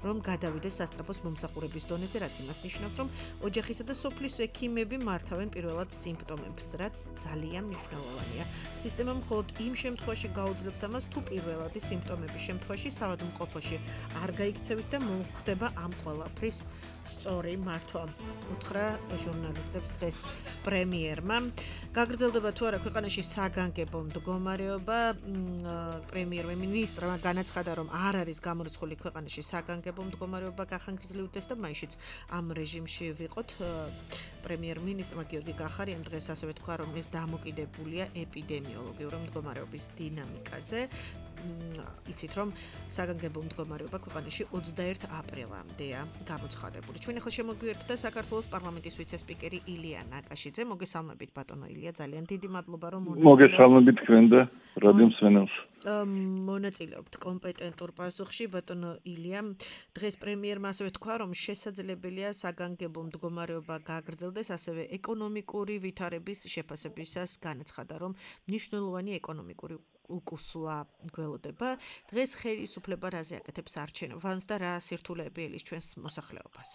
რომ გადავიდეს სასწრაფოს მომსახურების დონეზე, რაც იმას ნიშნავს, რომ ოჯახისა და სოფლის ექიმები მართავენ პირველად სიმპტომებს, რაც ძალიან მნიშვნელოვანია. სისტემა მხოლოდ იმ შემთხვევაში გაუძლებს ამას, თუ პირველადი სიმპტომების შემთხვევაში საავადმყოფოში არ გაიქცევით და მოხდება ამ ყველაფრის სწორი მართვა. უთხრა ჟურნალისტებს დღეს პრემიერმა. გაგრძელდება თუ არა ქვეყანაში საგანგებო მდგომარეობა. პრემიერ-მინისტრმა განაცხადა, რომ არ არის გამორიცხული ქვეყანაში საგანგებო მდგომარეობა გახანგრძლივდეს და მაისშიც ამ რეჟიმში ვიყოთ. პრემიერ-მინისტრმა გიორგი გახარიამ დღეს ასევე თქვა, რომ ეს დამოკიდებულია ეპიდემიოლოგიური მდგომარეობის დინამიკაზე. იცით, რომ საგანგებო მდგომარეობა ქვეყანაში ოცდაერთი აპრილამდეა გამოცხადებული. ჩვენ ახლა შემოგვიერთდა საქართველოს პარლამენტის ვიცე-სპიკერი ილია ნაკაშიძე. მოგესალმებით ბატონო ილია, ძალიან დიდი მადლობა რომ მონაწილეობთ. მოგესალმებით თქვენ და რადიო მსმენელს. მონაწილეობთ კომპეტენტურ პასუხში ბატონო ილია. დღეს პრემიერმა ასევე თქვა, რომ შესაძლებელია საგანგებო მდგომარეობა გაგრძელდეს, ასევე ეკონომიკური ვითარების შეფასებისას განაცხადა, რომ მნიშვნელოვანი ეკონომიკური უკუსლა გველოდება. დღეს ხელისუფლება რაზე აკეთებს არჩევნებს და რა სირთულეები ელის ჩვენს მოსახლეობას?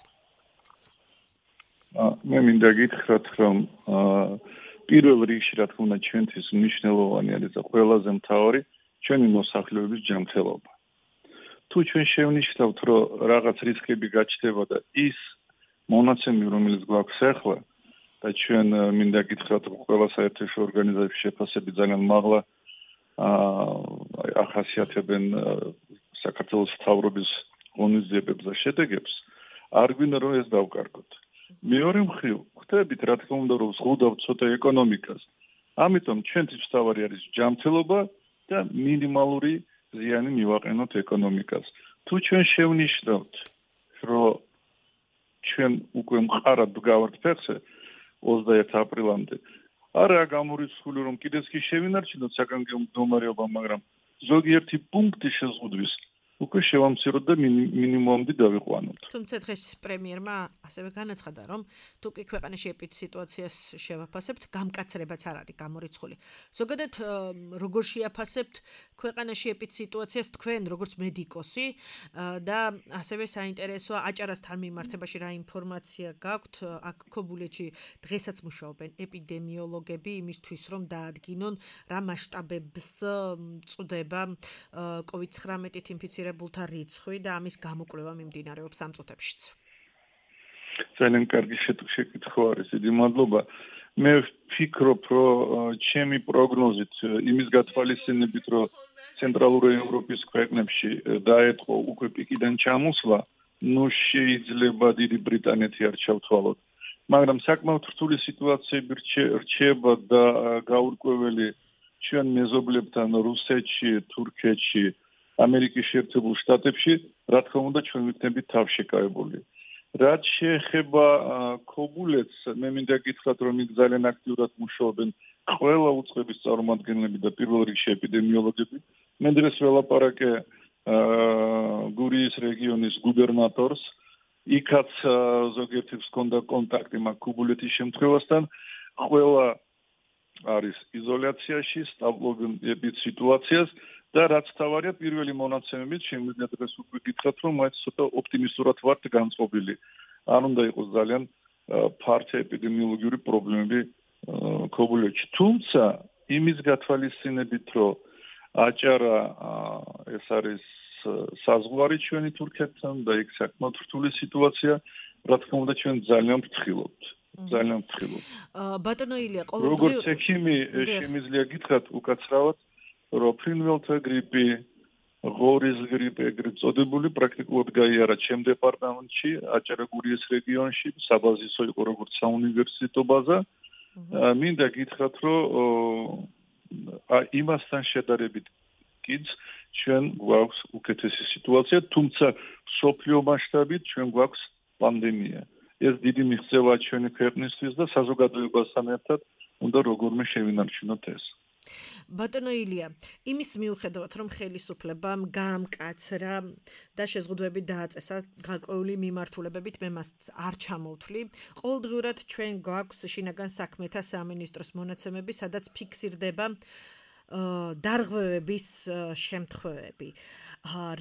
მე მინდა გითხრათ, რომ პირველ რიგში რა თქმა უნდა ჩვენთვის მნიშვნელოვანი არის და ყველაზე მთავარი ჩვენი მოსახლეობის ჯანმრთელობა. თუ ჩვენ შევნიშნავთ, რომ რაღაც რისკები გაჩნდება და ის მონაცემი, რომელიც გვაქვს ახლა და ჩვენ მინდა გითხრათ, რომ ყველა საერთაშორისო ორგანიზაციის შეფასები ძალიან მაღლა ახასიათებენ საქართველოს მთავრობის ღონისძიებებს და შედეგებს, არ გვინდა რომ ეს დავკარგოთ. მეორე მხრივ, ხვდებით რა თქმა უნდა რომ ზღუდავთ ცოტა ეკონომიკას. ამიტომ ჩვენთვის მთავარი არის ჯანმრთელობა და მინიმალური ზიანი მივაყენოთ ეკონომიკას. თუ ჩვენ შევნიშნავთ, რომ ჩვენ უკვე მყარად ვგავართ ფეხზე ოცდაერთი აპრილამდე, არაა გამორიცხული რომ კიდეც კი შევინარჩუნოთ საგანგებო მდგომარეობა, მაგრამ ზოგიერთი პუნქტი შეზღუდვის უკვე შევამციროთ და მინიმუმამდე დავიყვანოთ. თუმცა დღეს პრემიერმა ასევე განაცხადა, რომ თუ კი ქვეყანაში ეპიდემიოლოგიას შევაფასებთ, გამკაცრებაც არ არის გამორიცხული. ზოგადად როგორ შეაფასებთ ქვეყანაში ეპიდემიოლოგიას თქვენ, როგორც მედიკოსი და ასევე საინტერესოა აჭარასთან მიმართებაში რა ინფორმაცია გაქვთ? აქ ქობულეთში დღესაც მუშაობენ ეპიდემიოლოგები იმისთვის, რომ დაადგინონ რა მასშტაბებს წვდება კოვიდ ცხრამეტით ინფიცირებულთა რიცხვი და ამის გამოკვლევა მიმდინარეობს ამ წუთებშიც. ძალიან კარგი შეკითხვა არის, დიდი მადლობა. მე ვფიქრობ, რომ ჩემი პროგნოზით იმის გათვალისწინებით, რომ ცენტრალური ევროპის ქვეყნებში დაეწყო უკვე პიკიდან ჩამოსვლა, ნუ შეიძლება დიდი ბრიტანეთი არ ჩავთვალოთ. მაგრამ საკმაოდ რთული სიტუაციები რჩება და გაურკვეველი ჩვენ მეზობლებთან რუსეთში, თურქეთში, ამერიკის შეერთებულ შტატებში, რა თქმა უნდა, ჩვენ ვიქნებით თავშეკავებული. რაც შეეხება ქობულეთს, მე მინდა გითხრათ, რომ იქ ძალიან აქტიურად მუშაობენ ყველა უწყების წარმომადგენლები და პირველ რიგში ეპიდემიოლოგები. მე დღეს ველაპარაკე გურიის რეგიონის გუბერნატორს, იქაც ზოგიერთი ჰქონდა კონტაქტი მაგ ქობულეთის შემთხვევასთან, ყველა არის იზოლაციაში, სწავლობენ ეპიდ სიტუაციას და რაც თავარია პირველი მონაცემებით შემიძლია დღეს უკვე გითხრათ, რომ მაინც ცოტა ოპტიმისტურად ვართ განწყობილი. არ უნდა იყოს ძალიან ფართო ეპიდემიოლოგიური პრობლემები ქობულეთში. თუმცა იმის გათვალისწინებით, რომ აჭარა ეს არის საზღვარი ჩვენი თურქეთთან და იქ საკმაოდ რთული სიტუაცია, რა თქმა უნდა ჩვენ ძალიან ვფრთხილობთ. ძალიან ვფრთხილობთ. ბატონო ილია, ყოველდღიურ როგორც ექიმი შემიძლია გითხრათ უკაცრავად, რომ ფრინველთა გრიპი, ღორის გრიპი ეგრეთ წოდებული პრაქტიკულად გაიარა ჩემ დეპარტამენტში, აჭარა-გურიის რეგიონში, საბაზისო იყო როგორც საუნივერსიტეტო ბაზა. მინდა გითხრათ, რომ იმასთან შედარებით კიდს ჩვენ გვაქვს უკეთესი სიტუაცია, თუმცა მსოფლიო მასშტაბით ჩვენ გვაქვს პანდემია. ეს დიდი მიღწევაა ჩვენი ქვეყნისთვის და საზოგადოებასთან ერთად უნდა როგორმე შევინარჩუნოთ ეს. ბატონო ილია, იმის მიუხედავად, რომ ხელისუფლებამ გაამკაცრა და შეზღუდვები დააწესა გარკვეული მიმართულებებით, მე მას არ ჩამოვთვლი. ყოველდღიურად ჩვენ გვაქვს შინაგან საქმეთა სამინისტროს მონაცემები, სადაც ფიქსირდება დარღვევების შემთხვევები.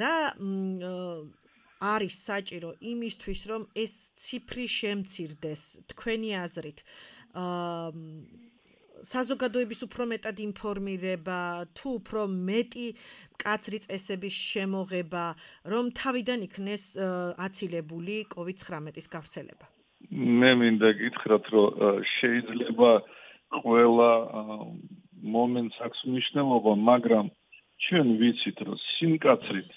რა არის საჭირო იმისთვის, რომ ეს ციფრი შემცირდეს, თქვენი აზრით? საზოგადოების უფრო მეტად ინფორმირება, თუ უფრო მეტი მკაცრი წესების შემოღება, რომ თავიდან იქნეს აცილებული კოვიდ ცხრამეტის გავრცელება. მე მინდა გითხრათ, რომ შეიძლება ყველა მომენტს აქვს მნიშვნელობა, მაგრამ ჩვენ ვიცით, რომ სიმკაცრით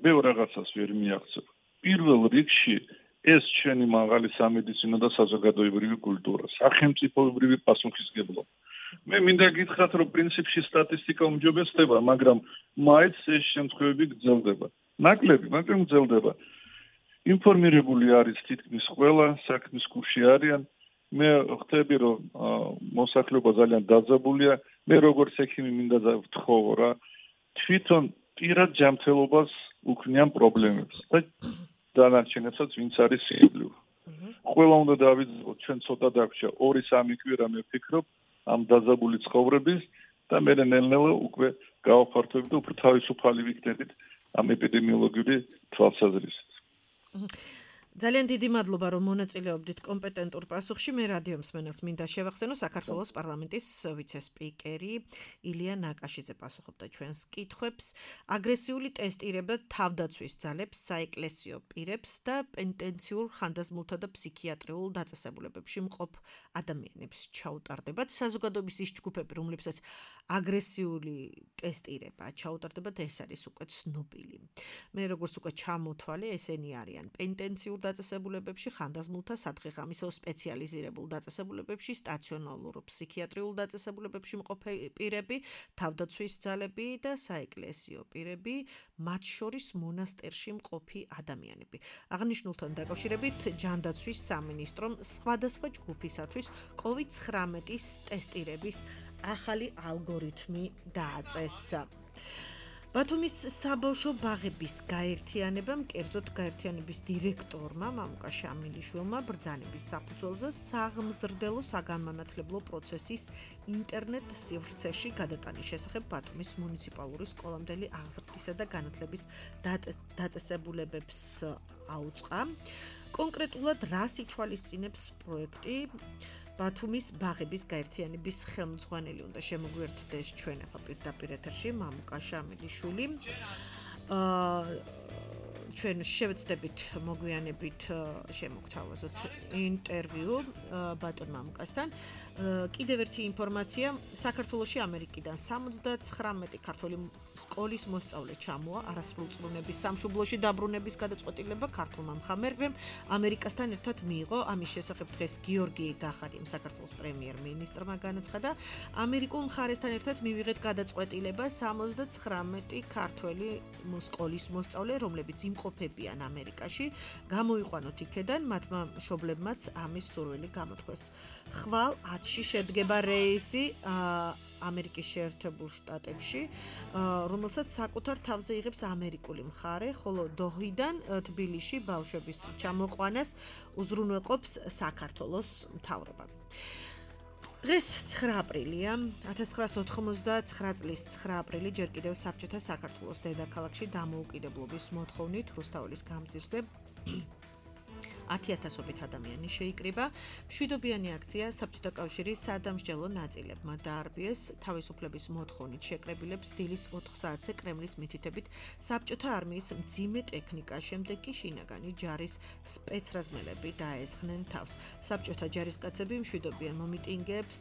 ბევრ რაღაცას ვერ მიაღწევ. პირველ რიგში ეს ჩვენი მაღალი სამედიცინო და საზოგადოებრივი კულტურა, სახელმწიფოებრივი პასუხისგებლობა. მე მინდა გითხრათ, რომ პრინციპში სტატისტიკა უმჯობესდება, მაგრამ მაინც ეს შემთხვევები გრძელდება. ნაკლები, მაგრამ გრძელდება. ინფორმირებული არის თითქმის ყველა, საქმის კურსში არიან. მე ხვდები, რომ მოსახლეობა ძალიან დაძაბულია. მე როგორც ექიმი მინდა ვთხოვო რა, თვითონ პირად ჯანმრთელობას უქმნიან პრობლემებს და დანარჩენებსაც ვინც არის სიკვდილო. ყველა უნდა დავიწყოთ, ჩვენ ცოტა დაგვრჩა ორი სამი კვირა მე ვფიქრობ ამ დაძაბული ცხოვრების და მე ნელ-ნელა უკვე გავაფართოვებ და უფრო თავისუფალი ვიქნებით ამ ეპიდემიოლოგიური თვალსაზრისით. ძალიან დიდი მადლობა, რომ მონაწილეობდით კომპეტენტურ პასუხში. მე რადიო მსმენელს მინდა შევახსენო, საქართველოს პარლამენტის ვიცე-სპიკერი ილია ნაკაშიძე პასუხობდა ჩვენს კითხვებს. აგრესიული ტესტირება თავდაცვის ძალებს, საეკლესიო პირებს და პენტენციურ ხანდაზმულთა და ფსიქიატრიულ დაწესებულებებში მყოფ ადამიანებს ჩაუტარდებათ. საზოგადოების ის ჯგუფები, რომლებსაც აგრესიული ტესტირება ჩაუტარდებათ, ეს არის უკვე ცნობილი. მე როგორც უკვე ჩამოთვალე, ესენი არიან პენტენციურ დაწესებულებებში, ხანდაზმულთა სადღეღამისო სპეციალიზირებულ დაწესებულებებში, სტაციონარულ ფსიქიატრიულ დაწესებულებებში მყოფი პირები, თავდაცვის ძალები და საეკლესიო პირები, მათ შორის მონასტერში მყოფი ადამიანები. აღნიშნულთან დაკავშირებით ჯანდაცვის სამინისტრომ სხვადასხვა ჯგუფისათვის კოვიდ ცხრამეტის ტესტირების ახალი ალგორითმი დააწესა. ბათუმის საბავშვო ბაღების გაერთიანებამ, კერძოდ გაერთიანების დირექტორმა მამუკა შამილიშვილმა ბრძანების საფუძველზე საღმზრდელო საგანმანათლებლო პროცესის ინტერნეტ სივრცეში გადატანის შესახებ ბათუმის მუნიციპალური სკოლამდელი აღზრდისა და განათლების დაწესებულებებს აუწყა. კონკრეტულად რას ითვალისწინებს პროექტი? ბათუმის ბაღების გაერთიანების ხელმძღვანელი უნდა შემოგვიერთდეს ჩვენ ახლა პირდაპირ ეთერში მამუკა შამილიშვილი. აა ჩვენ შევეცდებით მოგვიანებით შემოგთავაზოთ ინტერვიუ ბატონ მამუკასთან. კიდევ ერთი ინფორმაცია, საქართველოში ამერიკიდან სამოცდაცხრამეტი ქართველი სკოლის მოსწავლე ჩამოა არასრულწლოვნების სამშობლოში დაბრუნების გადაწყვეტილება ქართულმა მხამერებამ ამერიკასთან ერთად მიიღო. ამის შესახებ დღეს გიორგი გახარიამ საქართველოს პრემიერ-მინისტრმა განაცხადა, ამერიკულ მხარესთან ერთად მივიღეთ გადაწყვეტილება სამოცდაცხრამეტი ქართველი სკოლის მოსწავლე, რომლებიც იმყოფებიან ამერიკაში, გამოიყვანოთ იქედან, მათმა მშობლებმაც ამის სურვილი გამოთქვეს. ხვალ ათში შედგება რეისი ამერიკის შეერთებულ შტატებში, რომელსაც საკუთარ თავზე იღებს ამერიკული მხარე, ხოლო დოჰიდან თბილისში ბავშვების ჩამოყვანას უზრუნველყოფს საქართველოს მთავრობა. დღეს ცხრა აპრილია, ათას ცხრაას ოთხმოცდაცხრა წლის ცხრა აპრილი ჯერ კიდევ საბჭოთა საქართველოს დედაქალაქში დამოუკიდებლობის მოთხოვნით რუსთაველის გამზირზე ათი ათასობით ადამიანი შეიკრიბა. მშვიდობიანი აქცია საბჭოთა კავშირის სადამსჯელო ნაწილებმა დაარბიეს. თავისუფლების მოთხოვნით შეკრებილებს დილის ოთხ საათზე კრემლის მითითებით საბჭოთა არმიის მძიმე ტექნიკა, შემდეგ კი შინაგანი ჯარის სპეცრაზმელები დაესხნენ თავს. საბჭოთა ჯარისკაცები მშვიდობიან მომიტინგეებს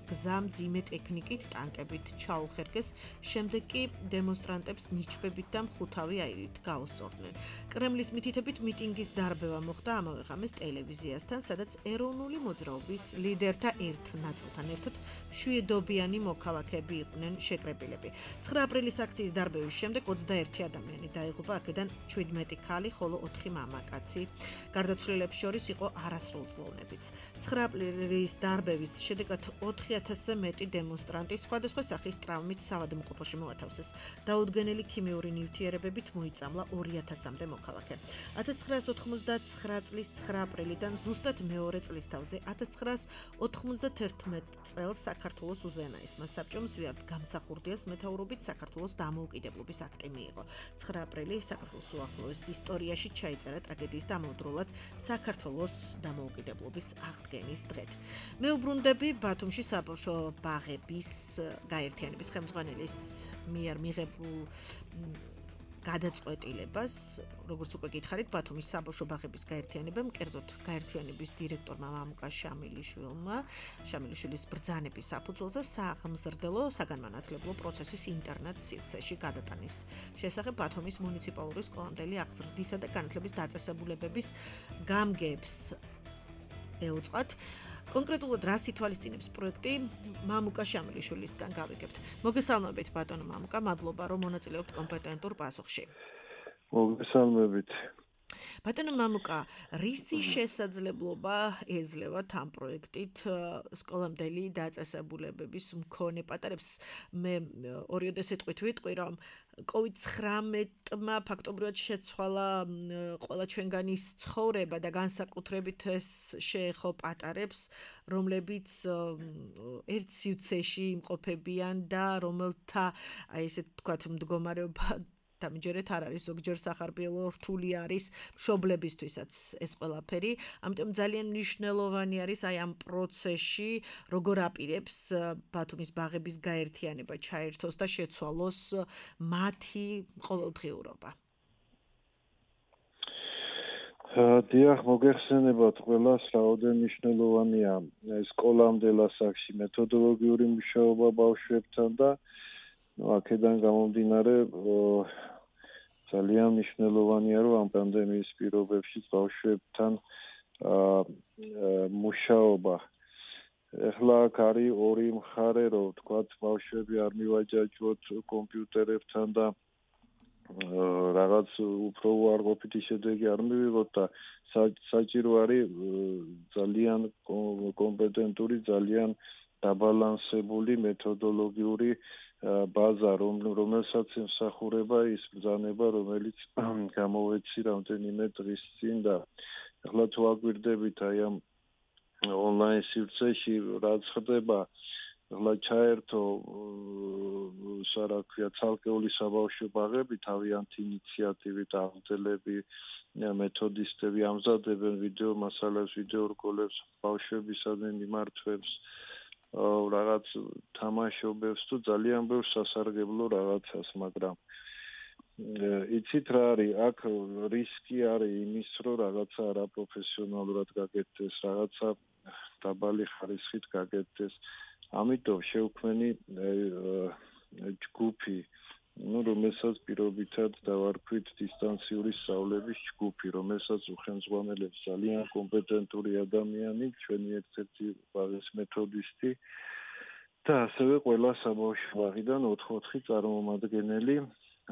გზა მძიმე ტექნიკით, ტანკებით ჩაუხერგეს, შემდეგ კი დემონსტრანტებს ნიჩბებით და მხუთავი აირით გაუსწორდნენ. კრემლის მითითებით მიტინგის დარბევა მოხდა ამავე ღამეს ტელევიზიასთან, სადაც ეროვნული მოძრაობის ლიდერთა ერთ ნაწილთან ერთად მშვიდობიანი მოქალაქეები იყვნენ შეკრებილები. ცხრა აპრილის აქციის დარბევის შემდეგ ოცდაერთი ადამიანი დაიღუპა, აქედან ჩვიდმეტი ქალი, ხოლო ოთხი მამაკაცი. გარდაცვლილებს შორის იყო არასრულწლოვნებიც. ცხრა აპრილის დარბევის შედეგად ოთხი ათასზე მეტი დემონსტრანტი სხვადასხვა სახის ტრავმით საავადმყოფოში მოათავსეს. დაუდგენელი ქიმიური ნივთიერებებით მოიწამლა ორი ათასამდე მოქალაქე. ათას ცხრაას ოთხმოცდაცხრა წლის ცხრა აპრილიდან ზუსტად მეორე წლისთავზე ათას ცხრაას ოთხმოცდაერთმეტ წელს საქართველოს უზენაესმა საბჭომ ზვიად გამსახურდიას მეთაურობით საქართველოს დამოუკიდებლობის აქტი მიიღო. ცხრა აპრილი საქართველოს უახლოეს ისტორიაში ჩაიწერა ტრაგედიის დამოუკიდებლად საქართველოს დამოუკიდებლობის აღდგენის დღედ. მეუბრუნდები ბათუმში საბავშვო ბაღების გაერთიანების ხელმძღვანელის მიერ მიღებულ გადაწყვეტილებას, როგორც უკვე გითხარით, ბათუმის საბავშვო ბაღების გაერთიანებამ, კერძოდ გაერთიანების დირექტორმა მამუკა შამილიშვილმა, შამილიშვილის ბრძანების საფუძველზე საღმზრდელო საგანმანათლებლო პროცესის ინტერნეტ სივრცეში გადატანის შესახებ ბათუმის მუნიციპალური სკოლამდელი აღზრდისა და განათლების დაწესებულებების გამგეებს ეუწყათ. კონკრეტულად რას ითვალისწინებს პროექტი, მამუკა შამილიშვილისგან გავიგებთ. მოგესალმებით ბატონო მამუკა, მადლობა რომ მონაწილეობთ კომპეტენტურ პასუხში. მოგესალმებით. ბატონო მამუკა, რისი შესაძლებლობა ეძლევათ ამ პროექტით სკოლამდელი დაწესებულებების მქონე პატარებს? მე ორიოდე სიტყვით ვიტყვი, რომ კოვიდ ცხრამეტმა ფაქტობრივად შეცვალა ყველა ჩვენგანის ცხოვრება და განსაკუთრებით ეს შეეხო პატარებს, რომლებიც ერთ სივრცეში იმყოფებიან და რომელთა, აი ესე თქვათ, მდგომარეობა დამჯერეთ არ არის, ზოგჯერ სახარბიელო რთული არის მშობლებისთვისაც ეს ყველაფერი, ამიტომ ძალიან მნიშვნელოვანი არის აი ამ პროცესში როგორ აპირებს ბათუმის ბაღების გაერთიანება ჩაერთოს და შეცვალოს მათი ყოველდღიურობა. დიახ, მოგეხსენებათ ყველას, რაოდენ მნიშვნელოვანია სკოლამდელ ასაკში მეთოდოლოგიური მუშაობა ბავშვებთან და აქედან გამომდინარე ძალიან მნიშვნელოვანია, რომ ამ პანდემიის პირობებში ბავშვებთან მუშაობა. ეხლა აქ არის ორი მხარე, რომ თქვათ ბავშვები არ მივაჯაჭვოთ კომპიუტერებთან და რაღაც უფრო უარყოფითი შედეგი არ მივიღოთ და საჭირო არის ძალიან კომპეტენტური, ძალიან დაბალანსებული მეთოდოლოგიური ბაზა, რომელსაც ემსახურება ის ბრძანება, რომელიც გამოვეცი რამდენიმე დღის წინ და ახლა თუ აგვირდებით აი ამ ონლაინ სივრცეში რაც ხდება, ახლა ჩაერთო სარაქვია ცალკეული საბავშვო ბაღები, თავიანთი ინიციატივით აღწერები მეთოდისტები ამზადებენ ვიდეო მასალებს, ვიდეო რგოლებს ბავშვებისადმი მიმართვებს, რაღაც თამაშობებს თუ ძალიან ბევრ სასარგებლო რაღაცას, მაგრამ იცით რა არის, აქ რისკი არის იმის, რომ რაღაცა არაპროფესიონალურად გაკეთდეს, რაღაცა დაბალი ხარისხით გაკეთდეს. ამიტომ შევქმენი ჯგუფი, ну, რომელსაც პირობითად დავარქვით დისტანციური სწავლების ჯგუფი, რომელსაც უხელმძღვანელებს ძალიან კომპეტენტური ადამიანი, ჩვენი ერთ-ერთი ბაზის მეთოდისტი და ასევე ყველა საბავშვო ბაღიდან ოთხ-ოთხი წარმომადგენელი,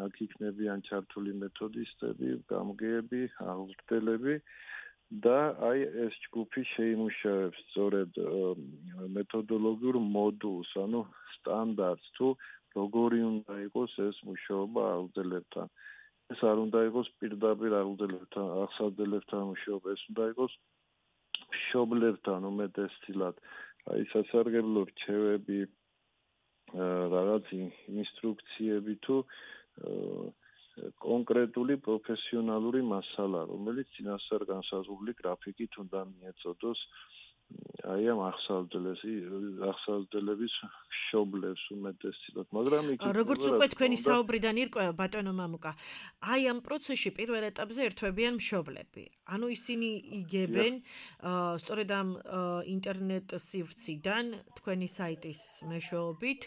აქ იქნებიან ჩართული მეთოდისტები, გამგეები, აღზრდელები და აი ეს ჯგუფი შეიმუშავებს სწორედ მეთოდოლოგიურ მოდულს, ანუ სტანდარტს თუ როგორი უნდა იყოს ეს მუშაობა აღზრდებთან. ეს არ უნდა იყოს პირდაპირ აღზრდებთან, აღსავსებელთან მუშაობა, ეს უნდა იყოს მშობლებთან უმეტესწილად. აი სასარგებლო რჩევები, რაღაც ინსტრუქციები თუ კონკრეტული პროფესიონალური მასალა, რომელიც წინასწარ განსაზღვრული გრაფიკით უნდა მიეწოდოს აი ამ აღსავსდელებს, აღსავსდელების მშობლებს უმეტესწილად, მაგრამ იქ როგორც უკვე თქვენი საუბრიდან ირკვევა ბატონო მამუკა, აი ამ პროცესში პირველ ეტაპზე ერთვებიან მშობლები. ანუ ისინი იგებენ სწორედ ამ ინტერნეტ სივრციდან თქვენი საიტის მეშვეობით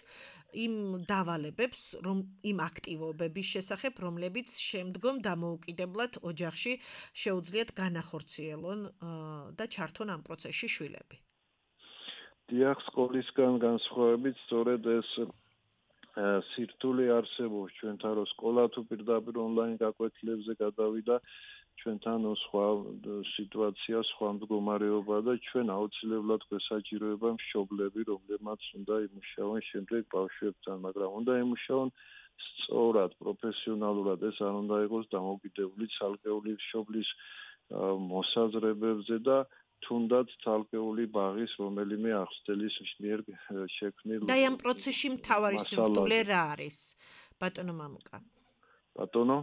იმ დავალებებს, რომ იმ აქტივობების შესახებ, რომლებიც შემდგომ დამოუკიდებლად ოჯახში შეუძლიათ განახორციელონ და ჩართონ ამ პროცესში შვილები. დიახ, სკოლისგან განსხვავებით, სწორედ ეს სირთულე არსებობს ჩვენთან, რომ სკოლა თუ პირდაპირ ონლაინ გაკვეთილებზე გადავიდა, ჩვენთან სხვა სიტუაცია, სხვა მდგომარეობა და ჩვენ აუცილებლად გვესაჭიროება მშობლები, რომლებმაც უნდა იმუშაონ შემდეგ ბავშვებთან, მაგრამ უნდა იმუშაონ სწორად, პროფესიონალურად, ეს არ უნდა იყოს დამოკიდებული ცალკეული მშობლის მოსაზრებებზე და თუნდაც ცალკეული ბაღის რომელიმე აღზრდელის მიერ შექმნილ და ამ პროცესში მთავარი სირთულე რა არის, ბატონო მამუკა? ბატონო?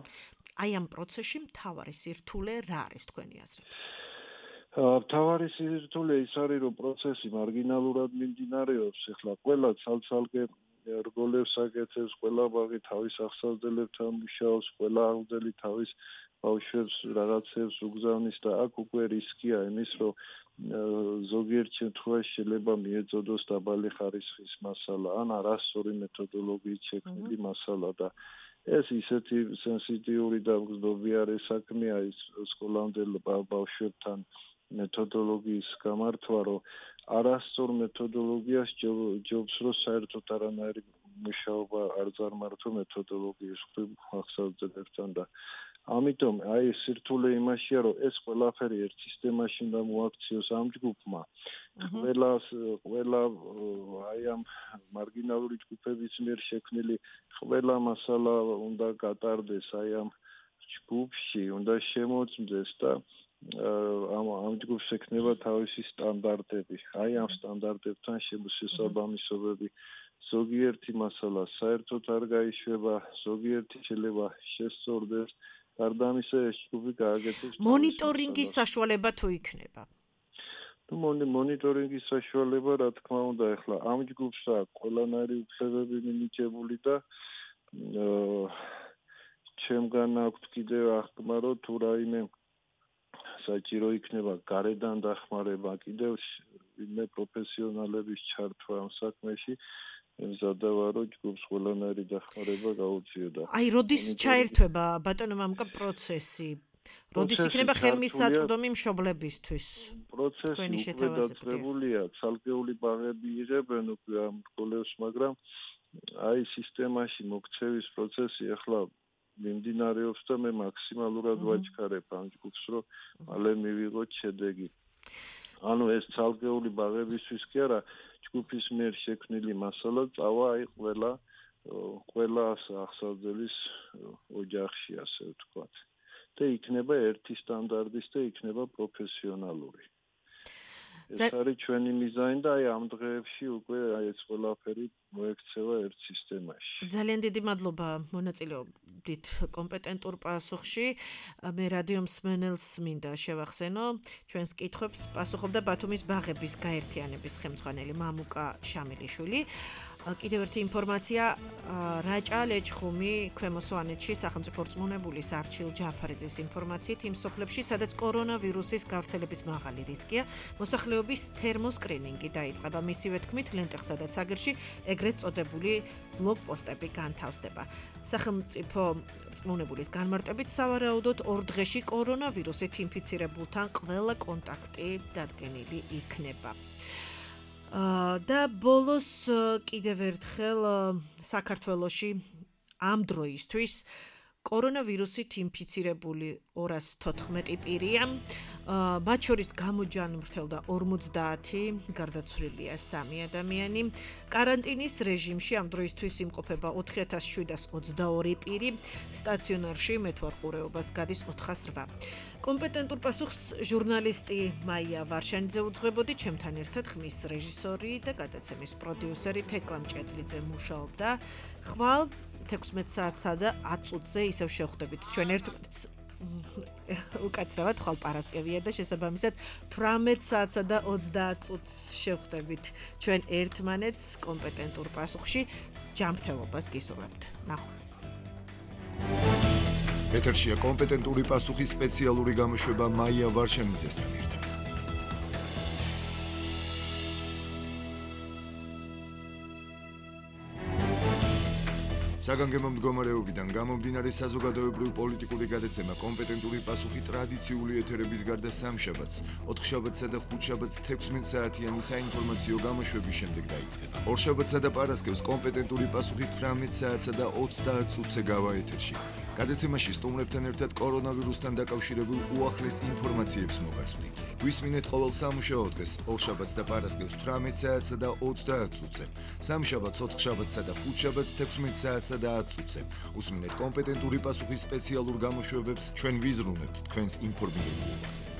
აი ამ პროცესში მთავარი სირთულე რა არის თქვენი აზრით? მთავარი სირთულე ის არის, რომ პროცესი მარგინალურად მიმდინარეობს, ეხლა ყველა ცალ-ცალკე რგოლებს აკეთებს, ყველა ბაღი თავის აღსავსდებლებთან მუშაობს, ყველა აღზრდელი თავის ბავშვებს რაღაცებს უგზავნის და აქ უკვე რისკია იმის, რომ ზოგიერთ შემთხვევაში შეიძლება მიეწოდოს დაბალი ხარისხის მასალა, ან არასწორი მეთოდოლოგიით შექმნილი მასალა და ეს ისეთი სენსიტიური და მგრძნობიარე საქმეა ის სკოლამდელ ბავშვებთან მეთოდოლოგიის გამართვა, რომ არასწორ მეთოდოლოგიას ჯობს, რომ საერთოდ არანაირი მუშაობა არ წარმართო მეთოდოლოგიის ახსავსდებებთან და ამიტომ აი სირთულე იმაშია, რომ ეს ყველაფერი ერთ სისტემაში უნდა მოაქციოს ამ ჯგუფმა. ყველას ყველა აი ამ მარგინალური ჯგუფების მიერ შექმნილი ყველა მასალა უნდა გატარდეს აი ამ ჯგუფში, უნდა შემოწმდეს და ამ ამ ჯგუფს ექნება თავისი სტანდარტები. აი ამ სტანდარტებთან შესაბამისობები ზოგიერთი მასალა საერთოდ არ გაიშვება, ზოგიერთი შეიძლება შესწორდეს. გარდა ამისა, ეს ჯგუფი გააკეთებს მონიტორინგის საშუალება თუ იქნება. ნუ მონიტორინგის საშუალება, რა თქმა უნდა, ახლა ამ ჯგუფს აქვს ყველანაირი უფლებები მინიჭებული და ჩემგან აქვს კიდევ აღქმა, რომ თუ რაიმე საჭირო იქნება გარედან დახმარება, კიდევ ვინმე პროფესიონალების ჩართვა ამ საქმეში, ემზადება, რომ ჯგუფს ყველანაირი დახმარება გაუწიოდა. აი, როდის ჩაერთვება ბატონო მამუკა პროცესი? როდის იქნება ხელმისაწვდომი მშობლებისთვის? პროცესი უკვე დაწყებულია, ცალკეული ბაღები იღებენ უკვე ამ რგოლებს, მაგრამ აი სისტემაში მოქცევის პროცესი ახლა მიმდინარეობს და მე მაქსიმალურად ვაჩქარებ ამ ჯგუფს, რომ მალე მივიღოთ შედეგი. ანუ ეს ცალკეული ბაღებისთვის კი არა, ჯგუფის მიერ შექმნილი მასალა წავა აი ყველა ყველას ახსავძელის ოჯახში, ასე ვთქვათ. და იქნება ერთი სტანდარტის და იქნება პროფესიონალური. ეს არის ჩვენი მიზანი და აი ამ დღეებში უკვე აი ეს ყველაფერი მოექცევა ერთ სისტემაში. ძალიან დიდი მადლობა მონაწილეობით კომპეტენტურ პასუხში. მე რადიო მსმენელს მინდა შევახსენო ჩვენს კითხვებს პასუხობდა ბათუმის ბაღების გაერთიანების ხელმძღვანელი მამუკა შამილიშვილი. კიდევ ერთი ინფორმაცია, რაჭა ლეჩხუმი ქვემო სვანეთში სახელმწიფო რწმუნებულის არჩილ ჯაფარიძის ინფორმაციით იმ სოფლებში, სადაც კორონავირუსის გავრცელების მაღალი რისკია, მოსახლეობის თერმოსკრინინგი დაიწყება. მისივე თქმით, ლენტეხსა და ცაგერში ეგრეთ წოდებული ბლოკპოსტები განთავსდება. სახელმწიფო რწმუნებულის განმარტებით, სავარაუდოდ ორ დღეში კორონავირუსით ინფიცირებულთან ყველა კონტაქტი დადგენილი იქნება. და ბოლოს კიდევ ერთხელ საქართველოში ამ დროისთვის კორონავირუსით ინფიცირებული ორას თოთხმეტი პირია, მათ შორის გამოჯანმრთელდა ორმოცდაათი, გარდაცვლილია სამი ადამიანი. კარანტინის რეჟიმში ამ დროისთვის იმყოფება ოთხი ათას შვიდას ოცდაორი პირი, სტაციონარში მეთვალყურეობას გადის ოთხას რვა. კომპეტენტურ პასუხს ჟურნალისტი მაია ვარშანიძე უძღვებოდი, ჩემთან ერთად ხმის რეჟისორი და გადაცემის პროდიუსერი თეკლა მჭედლიძე მუშაობდა. ხვალ თექვსმეტ საათსა და ათ წუთზე ისევ შევხვდებით ჩვენ ერთმანეთს. უკაცრავად ხვალ პარასკევია და შესაბამისად თვრამეტ საათსა და ოცდაათ წუთს შევხვდებით ჩვენ ერთმანეთს კომპეტენტურ პასუხში. ჯანმრთელობას გისურვებთ. ნახვამდის. ეთერშია კომპეტენტური პასუხი სპეციალური გამოშვება მაია ვარშანიძესთან ერთად. საგანგებო მდგომარეობიდან გამომდინარე საზოგადოებრივ პოლიტიკური გადაცემა კომპეტენტური პასუხი ტრადიციული ეთერების გარდა სამშაბათს, ოთხშაბათსა და ხუთშაბათს თექვსმეტ საათიანი საინფორმაციო გამოშვების შემდეგ დაიწყება. ორშაბათსა და პარასკევს კომპეტენტური პასუხი თვრამეტ საათსა და ოცდაათ წუთზე გავა ეთერში. გადაცემაში სტუმრებთან ერთად კორონავირუსთან დაკავშირებულ უახლეს ინფორმაციებს მოგაწვდით. გვისმინეთ ყოველ სამუშაო დღეს, ორშაბათს და პარასკევს თვრამეტ საათსა და ოცდაათ წუთზე, სამშაბათს, ოთხშაბათსა და ხუთშაბათს თექვსმეტ საათსა და ათ წუთზე. უსმინეთ კომპეტენტური პასუხის სპეციალურ გამოშვებებს, ჩვენ ვიზრუნებთ თქვენს ინფორმირებაზე.